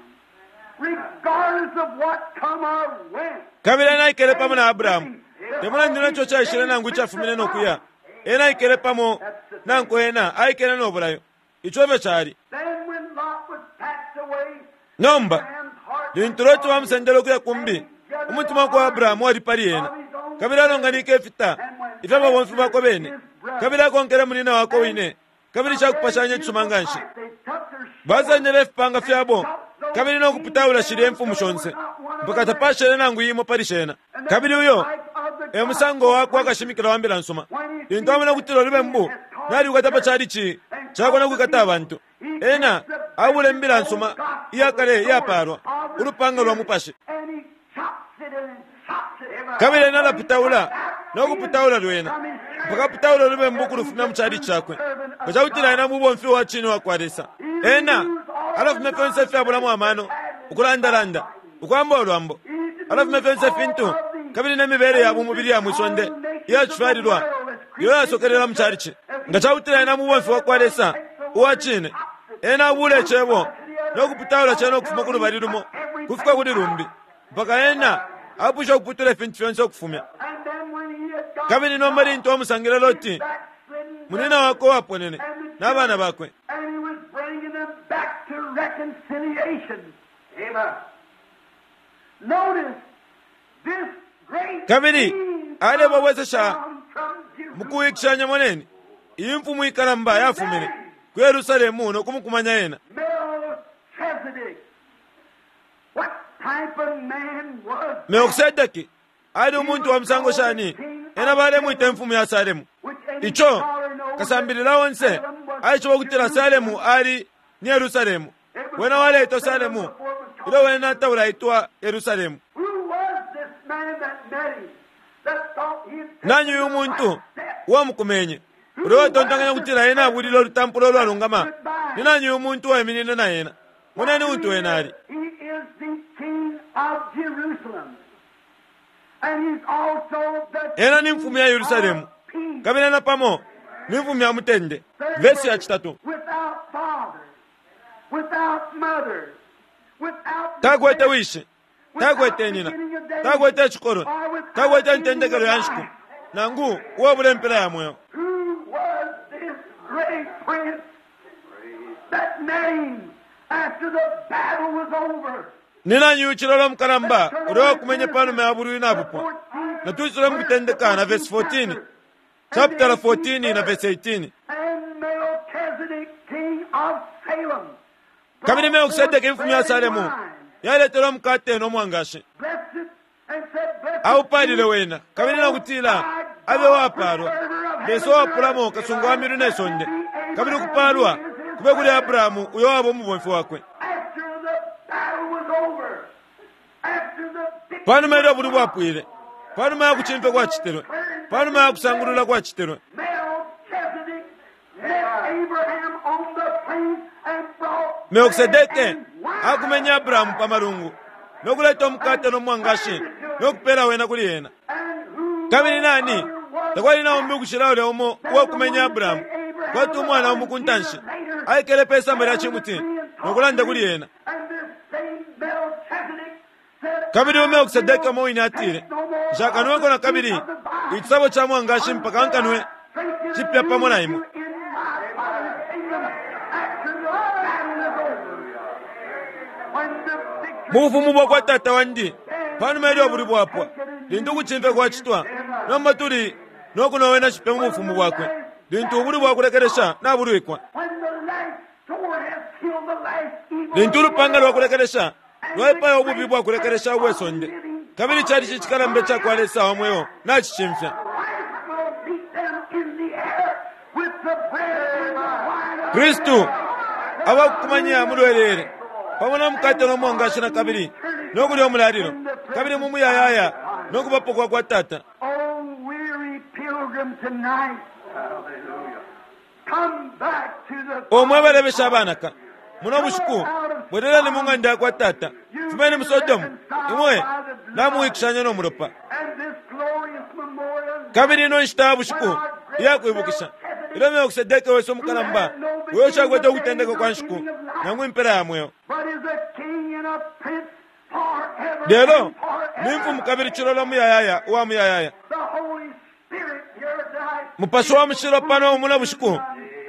regardless of what come or went. Kabili ena aikele pamo na Abrahamu temulandile ico caishile nangu icafumine nokuya ena aikele pamo nanku ena aikele nobulayo ico efyo cali. Then when Lot was packed away, Nomba Abraham's heart lintu Loti bamusendele ukuya kumbi umutima wakwa Abrahamu wali pali ena kabili alonganike ifita ifya babomfi bakwe bene kabili akonkele munina wakwe wine kabili cakupashanya icisuma nganshi. They took their Basendele ifipanga fyabo kabili nokuputaula shilya imfumu shonse mpaka tapashele nangu imo pali shena. Kabili uyo e musango wakwe akashimikila wa mbila nsuma lintu amona ukutila olubembu nalikwata pa chalichi chakwe nokwikata abantu ena abula imbila nsuma iyakale iyapalwa ulupanga lwa mupashi and he chops it and chops it. kabili ena alaputaula nokuputaula lwena mpaka aputaula olubembu ukulufumya mu chalichi chakwe ngacakutila ena mubomfi wa cine wakwa Lesa ena alafumya fyonse ifyabulamo amano ukulandalanda ukwamba olwambo alafumya fyonse ifintu kabili nemibele ya bumubili ya mwisonde iyacifyalilwa iyo yasokelela mu chalichi nga cakutila ena mubomfi wakwa Lesa uwa cine ena abula icebo nokuputaula cena ukufuma ku lubali lumo kufika kuli lumbi mpaka ena apwisha ukuputula ifintu fyonse ukufumya. And then when he had got Kabili nomba lintu amusangile Loti backslidden, munina wakwe uwaponene n'abana bakwe and he was bringing them back to reconciliation. Amen. Notice this great Kabili, king alebabwesesha come from Jerusalem. mukuwikishanya moneni iyi mfumu ikalamba yafumine ku Yerusalemu nokumukumanya ena. Melchizedek. What type of man was Melkisedeki ali umuntu wa musango shani ena balemwita imfumu ya Salemu. which any Ico scholar knows kasambilila onse Salem was aishiba ukutila Salemu ali ni Yerusalemu. Wena waleitwa Salemu ilyo wena taulaitwa Yerusalemu. Who was this man that met him that thought he had Nanyu uyu muntu uwamukumenye uli watontonkanya kutila ena abulile olutampulo olwalungama ni nanyu uyu muntu uwaiminine na ena moneni untu wena ali. He is the king of Jerusalem. And he's also the Ena ni mfumu ya Yerusalemu of peace. kabili ena pamo ni mfumu ya mutende. Vesi ya chitatu Without father, without mother, without takwete wishi takwete nina takwete chikolo takwete ntendekelo ya nshiku Nangu uwabula impela ya mweo. Who was this great prince that name after the battle was over? Ni nani uyu mukalamba ulya wakumenye panuma ya bulwi nabupwa? Natuisule mukutendeka na verse fourteen, chapter fourteen na verse eighteen. And Melchizedek, king of Salem, Kabili Melkisedeki imfumu ya Salemu yaletele umukate no mwangashi. blessed it and said, Blessed Aupalile wena kabili nakutila abe wapalwa Lesa wapulamo kasungu wa milu ne sonde kabili kupalwa kube kuli Abrahamu uyo waba umubomfi wakwe. After the battle was over, after the victory Panuma ilyo bulwi bwapwile, panuma ya kuchimfya kwachitilwe, panuma ya kusangulula kwachitilwe, Melchizedek met Abraham on the plain and brought Melkisedeke bread and wine. akumenya Abrahamu pa malungu nokuleta umukate no mwangashi nokupela wena kuli ena. And who Kabili nani other was takwali naumbi ukushila ulya umo uwakumenya Abrahamu kwati umwana umu kuntanshi aikele pe samba lya chimuti nokulanda kuli ena. And this same Melchizedek said, Kabili Melkisedeke umo wine atile, nshakanweko na kabili ichisabo cha mwangashi mpaka nkanwe chipya pamo na imwe. In my Father's kingdom after the battle is over. When the victory Mu bufumu bwa kwa tata wandi panuma ilyo bulwi bwapwa lintu ukuchimfya kwachitwa nomba tuli nokunowena chipya mu bufumu bwakwe lintu ubulwi bwakulekelesha nabulwikwa. When the last sword has killed the last evil Lintu ulupanga lwakulekelesha lwaipaya ububi bwakulekelesha ubwe sonde kabili chali chichikalamba chakwa Lesa wa mweo nachichimfya. Christ will meet them in the air with the bread and the wine of Kristu abakukumanya mulwelele pamo na mukate no mwangashi na kabili nokulya umulalilo kabili mu muyayaya nokubapo kwa kwa tata. Oh, weary pilgrim tonight, come back to the Omwe balebesha abanaka muno bushiku bwerereni mu ng'anda ya kwa tata, fumeni mu Sodomu imwe namuwikishanya no mulopa. and this glorious memorial Kabili ino nshita ya bushiku iyakwibukisha ilyo Melkisedeke wesu umukalamba uyo ushakwete ukutendeka kwa nshiku nangu impela ya mweo, but is a king and a prince forever lelo and forever. ni mfumu kabili chilola muyayaya uwa muyayaya. The Holy Spirit here tonight. Mupashi wa mushilo pano muno bushiku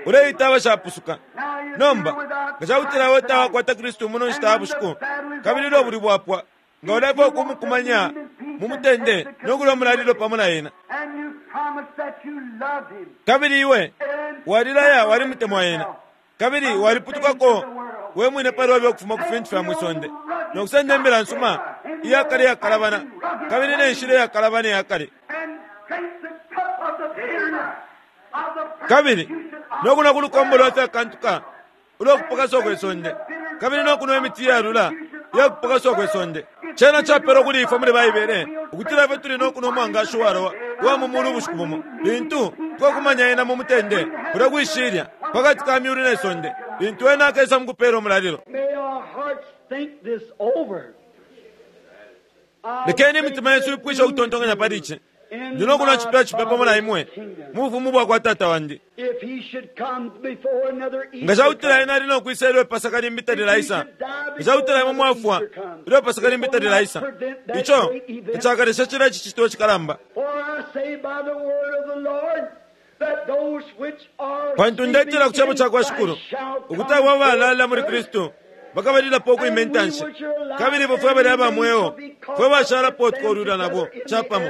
uleita abashapusuka. Now you Nomba do without nga chakutila Christ we tonight. tawakwata Kristu muno nshita ya bushiku kabili ilyo bulwi bwapwa nga ulefa ukumukumanya mu mutende nokulya umulalilo pamo na ena. And you promised that you loved him. Kabili iwe And walilaya walimutemwa ena kabili waliputukako we mwine pali ukufuma ku fintu fya mwisonde nokusenda imbila nsuma iyakale iyakalabana kabili ne nshila iyakalabana iyakale and drink the cup of the bitterness of the kabili persecution of nokunwa ku lukombo lwa fyakantuka ulwakupakaswa kwe sonde kabili nokunwa imiti iyalula iyakupakaswa kwe sonde. Chena chapelwa kuli ifwe muli Baibele ukutila ifwe tuli nokunwa umwangashi uwalowa uwa mu mulu ubushiku bumo lintu twakumanya ena mu mutende kulya kwishilya pakati ka myulu ne sonde lintu ena akesa mukupela umulalilo. May our hearts think this over. Lekeni imitima yesu ipwishe ukutontonkanya pali ici. Ndi nokunwa chipya chipya pamo na imwe mu bufumu bwa kwa tata wandi. If he should come before another Nga Easter chakutila comes, ena ali nokwisa ilyo ipasaka limbi talilaisa, nga chakutila imwe mwafwa ilyo ipasaka limbi talilaisa, icho tachakalesha chila ichi chitulo chikalamba. For I say by the word of the Lord that those which are Pantu ndetela ku sleeping chabo in cha kwa Christ Shikulu shall ukuti come abo abalala muli forth Kristu bakabalilapo ukwima intanshi kabili ifwe fwe bali aba mweo fwe bashalapo tukolwila nabo chapamo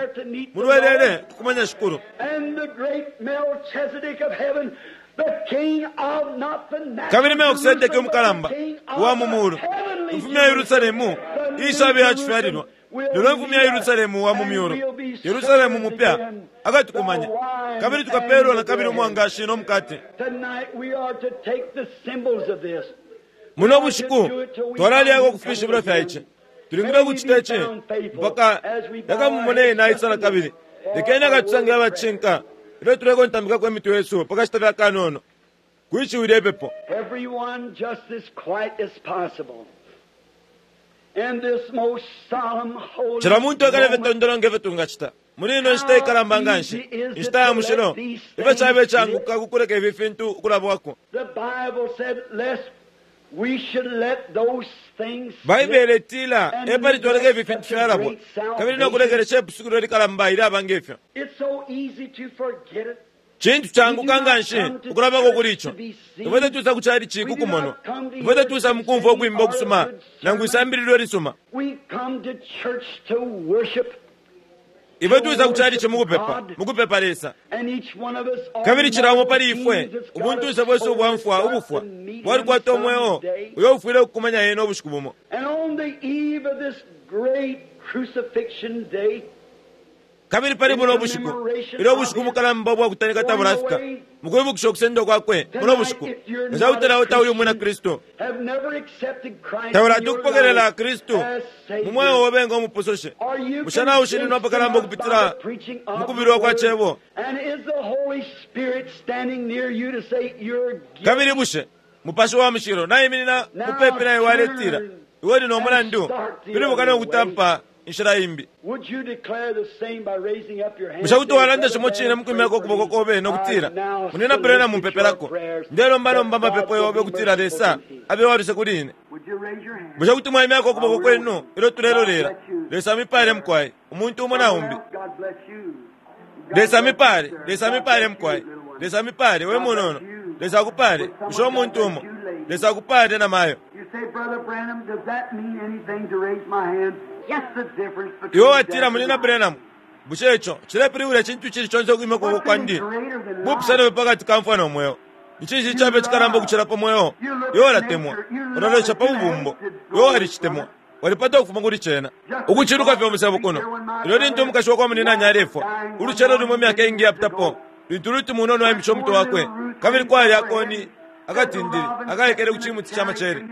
mulwelele kukumanya Shikulu. And the great Melchizedek of heaven, the king of not the natural Kabili Melkisedeki Jerusalem, but umukalamba the king of uwa mu the mulu heavenly imfumu ya Yerusalemu Jerusalem, ishabe yachifyalilwa lelo imfumu ya Yerusalemu wa mu myulu Yerusalemu mupya akatukumanya kabili tukapelwa na kabili umwangashi no mukate. Tonight we are to take the symbols of this. Muno bushiku twalalyako kufishibilo fya ici tulingile ukuchita ici mpaka yakamumone ena aisa na kabili. Lekeni akatusange abachinka ilyo tulekontambikako emitwe yesu pakashita fya kanono kwishiwi ipepo. Everyone just as quiet as possible. In this most solemn, holy Cila muntu akale moment, fetondolo nge fetungachita muli ino nshita ikalamba nganshi inshita ya mushilo ifyo chabe changuka kukuleka ifi fintu ukulabwako. the Bible said, lest Baibele itila epali twaleka ifi fintu fyalabwa kabili nokulekelesha ipusukilo likalamba ilyaba ngefyo. Cintu canguka nganshi ukulabako kuli ico. Ifwe tetusa kucali ciku kumonwa, ifwe tetusa mukumfwa ukwimba ukusuma nangu isambililo lisuma. Ifwe tuisa kucali ci mukupepa, mukupepa Lesa. Kabili cilamo pali ifwe ubuntunse bwesu ubwamfwa ubufwa bwalikwata umweo uyo ufwile ukukumanya yena ubushiku bumo. Kabili pali buno ubushiku ilyo ubushiku mukalamba ubwakutanika tabulafika mukwibukisha ukusendwa kwakwe buno bushiku, nga cakutila iwe tauli umwina Kristu, taulati ukupokelela Kristu mu mweo obe nga umupusushe, bushe naushininwa apakalamba ukupitila mukubilwa kwa cebo? Kabili bushe Mupashi wa Mushilo naiminina mupepi naye waletila iwe uli no mulandu, pilibuka nokutampa inshila imbi. Bushe kuti walanda cimo cine mukwimyako ukuboko kobe nokutila, munina Branham mumpepelako, ndelomba nomba amapepo yobe ukutila Lesa abe waluse kuli ine? Bushe kuti mwaimyako ukuboko kwenu ilyo tulelolela? Lesa amipale mukwai, umuntu umo na umbi. Lesa amipale, Lesa amipale mukwai, Lesa amipale we munono, Lesa akupale, bushe umuntu umo, Lesa akupale na mayo. Iwe watila, munina Branham, bushe ico cilepilibula icintu cili conse ukwimya ukuboko kwandi? Bupusano pakati ka mfwa no mweo. Ni cinshi cabe cikalamba ukucila pa mweo? Iwe walatemwa, ulalolesha pa bubumbo, iwe walicitemwa, walipata ukufuma kuli cena. Ukuciluka fye umusebo kuno, ilyo lintu umukashi wakwa muninanyi alefwa, ulucelo lumo imyaka iingi yapitapo, lintu Ruti munono aimishe umutwe wakwe, kabili kwali akoni akatindili akaekele ku cimuti ca macele.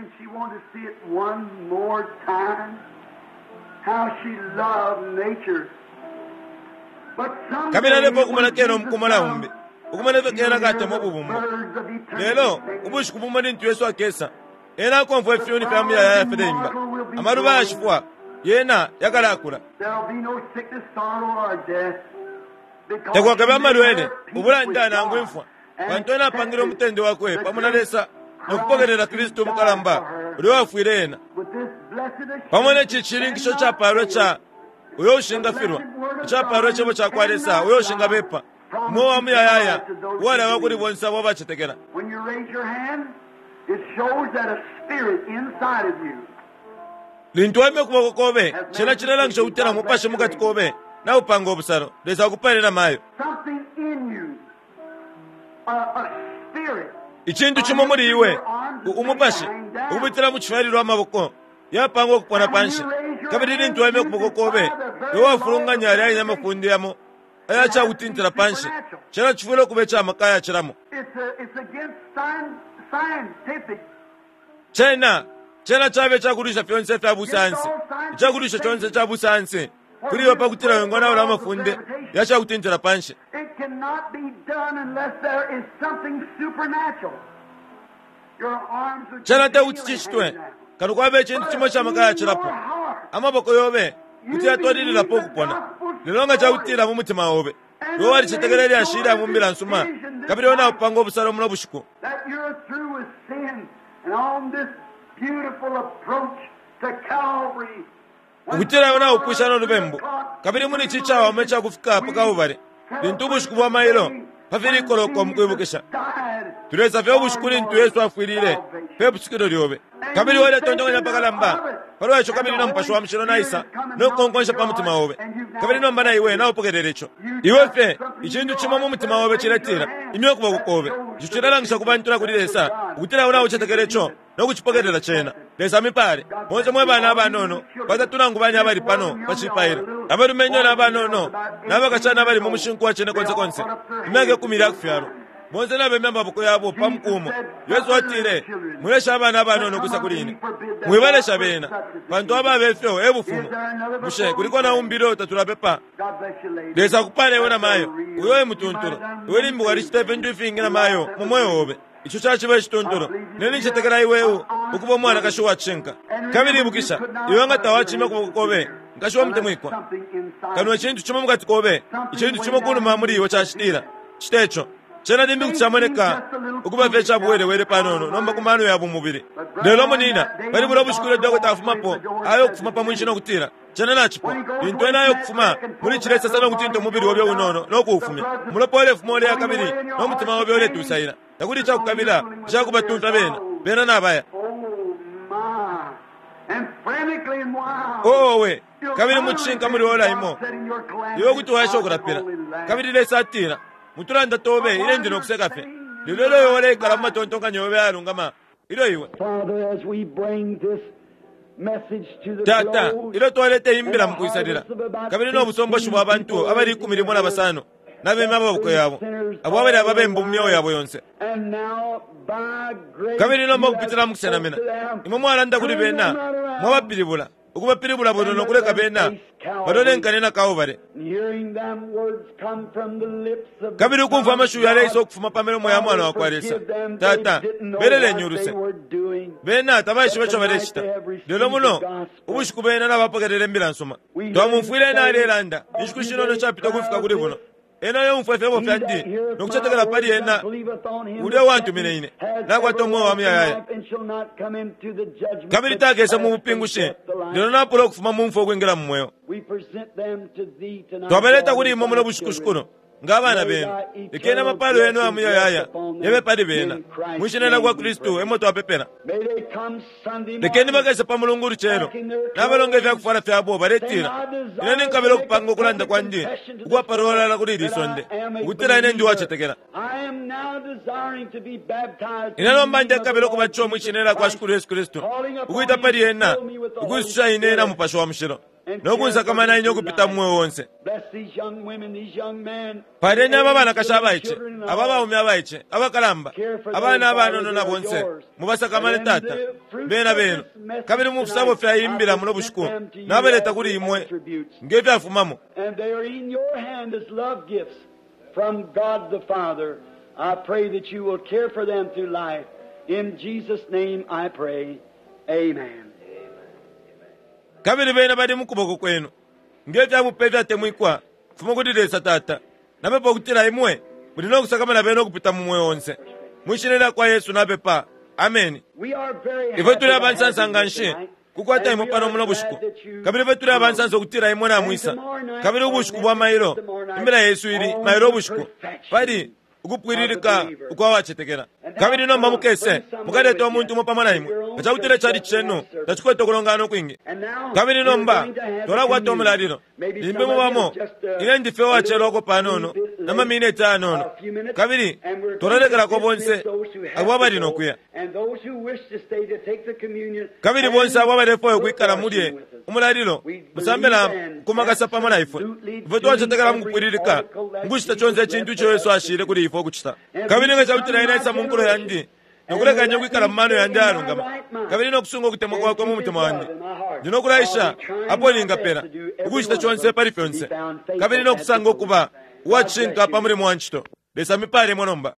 Kabili alepo ukumona kena umukumo na umbi, ukumona ifyo kena katemwa ububumbo. Lelo ubushiku bumo lintu Yesu akesa, ena akomfwa ifyuni fya muyayaya fileimba, amaluba ayashifwa yena yakalakula. Takwakabe amalwele, ubulanda nangu imfwa, pantu ena apangile umutende wakwe pamo na Lesa nokupokelela Kristu umukalamba ulya wafwile ena. Pamo neci cishininkisho capalwa ca uyo ushingafilwa, icapalwa icebo cakwa Lesa uyo ushingabepa, umweo wa muyayaya uwalawa kuli bonse abo abacetekela. Lintu waimya ukuboko kobe, cena cilelangisha ukutila mupashi mukati kobe naupanga ubusalo. Lesa akupale na mayo. Icintu cimo muli iwe, umupashi, ukupitila mu cifyalilwa amaboko yapangwa ukupona panshi. Kabili lintu waimya ukuboko kobe, iwe wafulunganya yalya yene amafunde yamo ayacakutintila panshi. Cena cifwile ukuba icamaka ayacilamo. Cena cena cabe icakulwisha fyonse ifya busayansi, icakulwisha conse ica busayansi kuli iwe pakutila wingonaula amafunde yacakutintila panshi. Cena tekuti cicitwe kano kwaba icintu cimo icamaka yacilapo. Amaboko yobe kuti yatwalililapo ukupona, lelo nga cakutila mu mutima obe iwe walicetekela ilyashi ilya mu mbila nsuma, kabili iwe naupanga ubusalo muno bushiku ukutila iwe naupwisha no lubembu, kabili muli ici cawama icakufika pa Kalbale, lintu ubushiku bwa mailo pafili ikoloko mukwibukisha. Tulesa fye ubushiku lintu Yesu afwilile pe pusukilo lyobe, kabili waletontonkanya apakalamba palwa ico, kabili no Mupashi wa Mushilo naisa nokukonkonsha pa mutima obe, kabili nomba na iwe naupokelela ico. Iwe fye icintu cimo mu mutima obe ciletila imya ukuboko kobe, ico cilelangisha ku bantu na kuli Lesa ukutila iwe naucetekela ico nokucipokelela cena. Lesa amipale bonse mwe bana abanono batatu nangu bane abali pano pa cipailo, abalumenyo na banono nabakashana abali mu mushinku wa cene konse konse, imyaka ikumi lyakufyalwa, bonse nabemya amaboko yabo pa mukumo. Yesu atile, mwilesha abana abanono ukwisa kuli ine, mwibalesha bena, pantu ababa ifyo e bufumu. Bushe kuliko na umbi ilyo tatulapepa? Lesa akupale iwe na mayo, uyo e mutuntula. Iwe limbi walicita ifintu ifingi na mayo mu mweo obe, ico caciba icituntulu. Nene ncetekela iwe ukuba umwanakashi uwacishinka. Kabili ibukisha, iwe nga tawacimya ukuboko kobe, nkashi wa mutemwikwa, kano icintu cimo mukati kobe, icintu cimo kunuma muli iwe cacitila, cita ico. Cena limbi kuti camoneka ukuba fye cabuwelewele panono nomba ku mano ya bumubili. Lelo munina, pali bulya bushiku ilyo dokota afumapo, ayo ukufuma pa mwinshi no kutila, cena nacipwa. Lintu ena ayo ukufuma muli cilya isasa no kutinta umubili obe unono no kuufumya, umulopa ulefuma uleya kabili no mutima obe uletusaila. Takuli icakukabila icakubatumfya bena, bena nabaya. Owe, kabili mucishinka muli ora imo, iwe kuti waesha ukulapila. Kabili Lesa atila, mutulanda tobe ile ndi nokuseka fye. Lelo ilyo iwe uleikala mu matontonkanyo yobe ayalungama, ilyo iwe Tata, ilyo twaleta imbila mukwisalila, kabili no busomboshi bwa bantu abali ikumi limo na basano nabema amaboko yabo, abo abali ababembu mu myeo yabo yonse. Kabili nomba ukupitila mukusenamina, imwe mwalanda kuli bena, mwabapilibula, ukubapilibula bwino nokuleka bena balolenkane na Kalbale. Kabili ukumfwa amashiwi yaleisa ukufuma pa milomo ya mwana wakwa Lesa, Tata, beleleni uluse. Bena tabaishiba ico balecita. Lelo muno ubushiku bena nabapokelela imbila nsuma. Twamumfwile ena alelanda inshiku shinono shapita ukufika kuli buno. Ena yomfwa ifyebo fyandi nokucetekela pali ena ulya wantumine ine, nakwata umweo wa muyayaya. Kabili takesa mu bupingushi, lelo napula ukufuma mu mfwa ukwingila mu mweo. Twabaleta kuli imwe muno bushiku shikuno nga abana benu. Lekeni amapalo yenu aya muyayaya yabe pali bena. Mwi shina lyakwa Kristu emo twapepela. Lekeni bakese pa mulungu ulucelo, nabalonga ifyakufwala fyabo baletila, ine ninkabila ukupanga ukulanda kwandi ukwapalolala kuli ili sonde, ukutila ine ndi uwacetekela. Ine nomba ndekabila ukubatishiwa mwi shina lyakwa Shikulu Yesu Kristu, ukwita pali ena, ukwisusha ine na Mupashi wa Mushilo, nokunsakamana ine ukupita mu mweo onse. Paleni aba banakashi abaice, aba baume abaice, abakalamba, abana abanono na bonse, mubasakamane Tata, bena benu. Kabili mu fisabo fya imbila muno bushiku, nabaleta kuli imwe nge fyafumamo. And they are in your hand as love gifts from God the Father. I pray that you will care for them through life. In Jesus' name I pray. Amen. Kabili bena bali mukuboko kwenu nge fyabupe ifyatemwikwa kufuma kuli Lesa Tata. Napepa ukutila imwe muli nokusakamana bena ukupita mu mweo onse. Mwi shina lyakwa Yesu napepa. Ameni. Ifwe tuli abansansa nga nshi kukwata imwe pano muno bushiku, kabili ifwe tuli abansansa ukutila imwe namwisa. Kabili ubushiku bwa mailo, imbila yesu ili mailo ubushiku pali ukupwililika ukwa wacetekela. Kabili nomba mukese mukaleta umuntu umo pamo na imwe, nga cakutila icali cenu tacikwete ukulongana ukwingi. Kabili nomba twalakwata umulalilo, limbi mubamo ine ndife uwacelwako panono na mamineti ayanono, kabili twalalekelako bonse abo abali nokuya. Kabili bonse abo abalefwaya ukwikala mulye umulalilo, musambela kumakasa pamo na ifwe. Ifwe twacetekela mukupwililika mukucita conse icintu ico Yesu ashile kuli ifwe ukucita. Kabili nga cakutila ine aisa mu nkulo yandi nokulekanya ukwikala mu mano yandi ayalungama, kabili nokusunga ukutemwa kwakwe mu mutima wandi, ndi nokulaisha apo ningapela ukucita conse pali fyonse, kabili nokusanga ukuba uwacishinka pa mulimo wa ncito. Lesa mipale imwe nomba.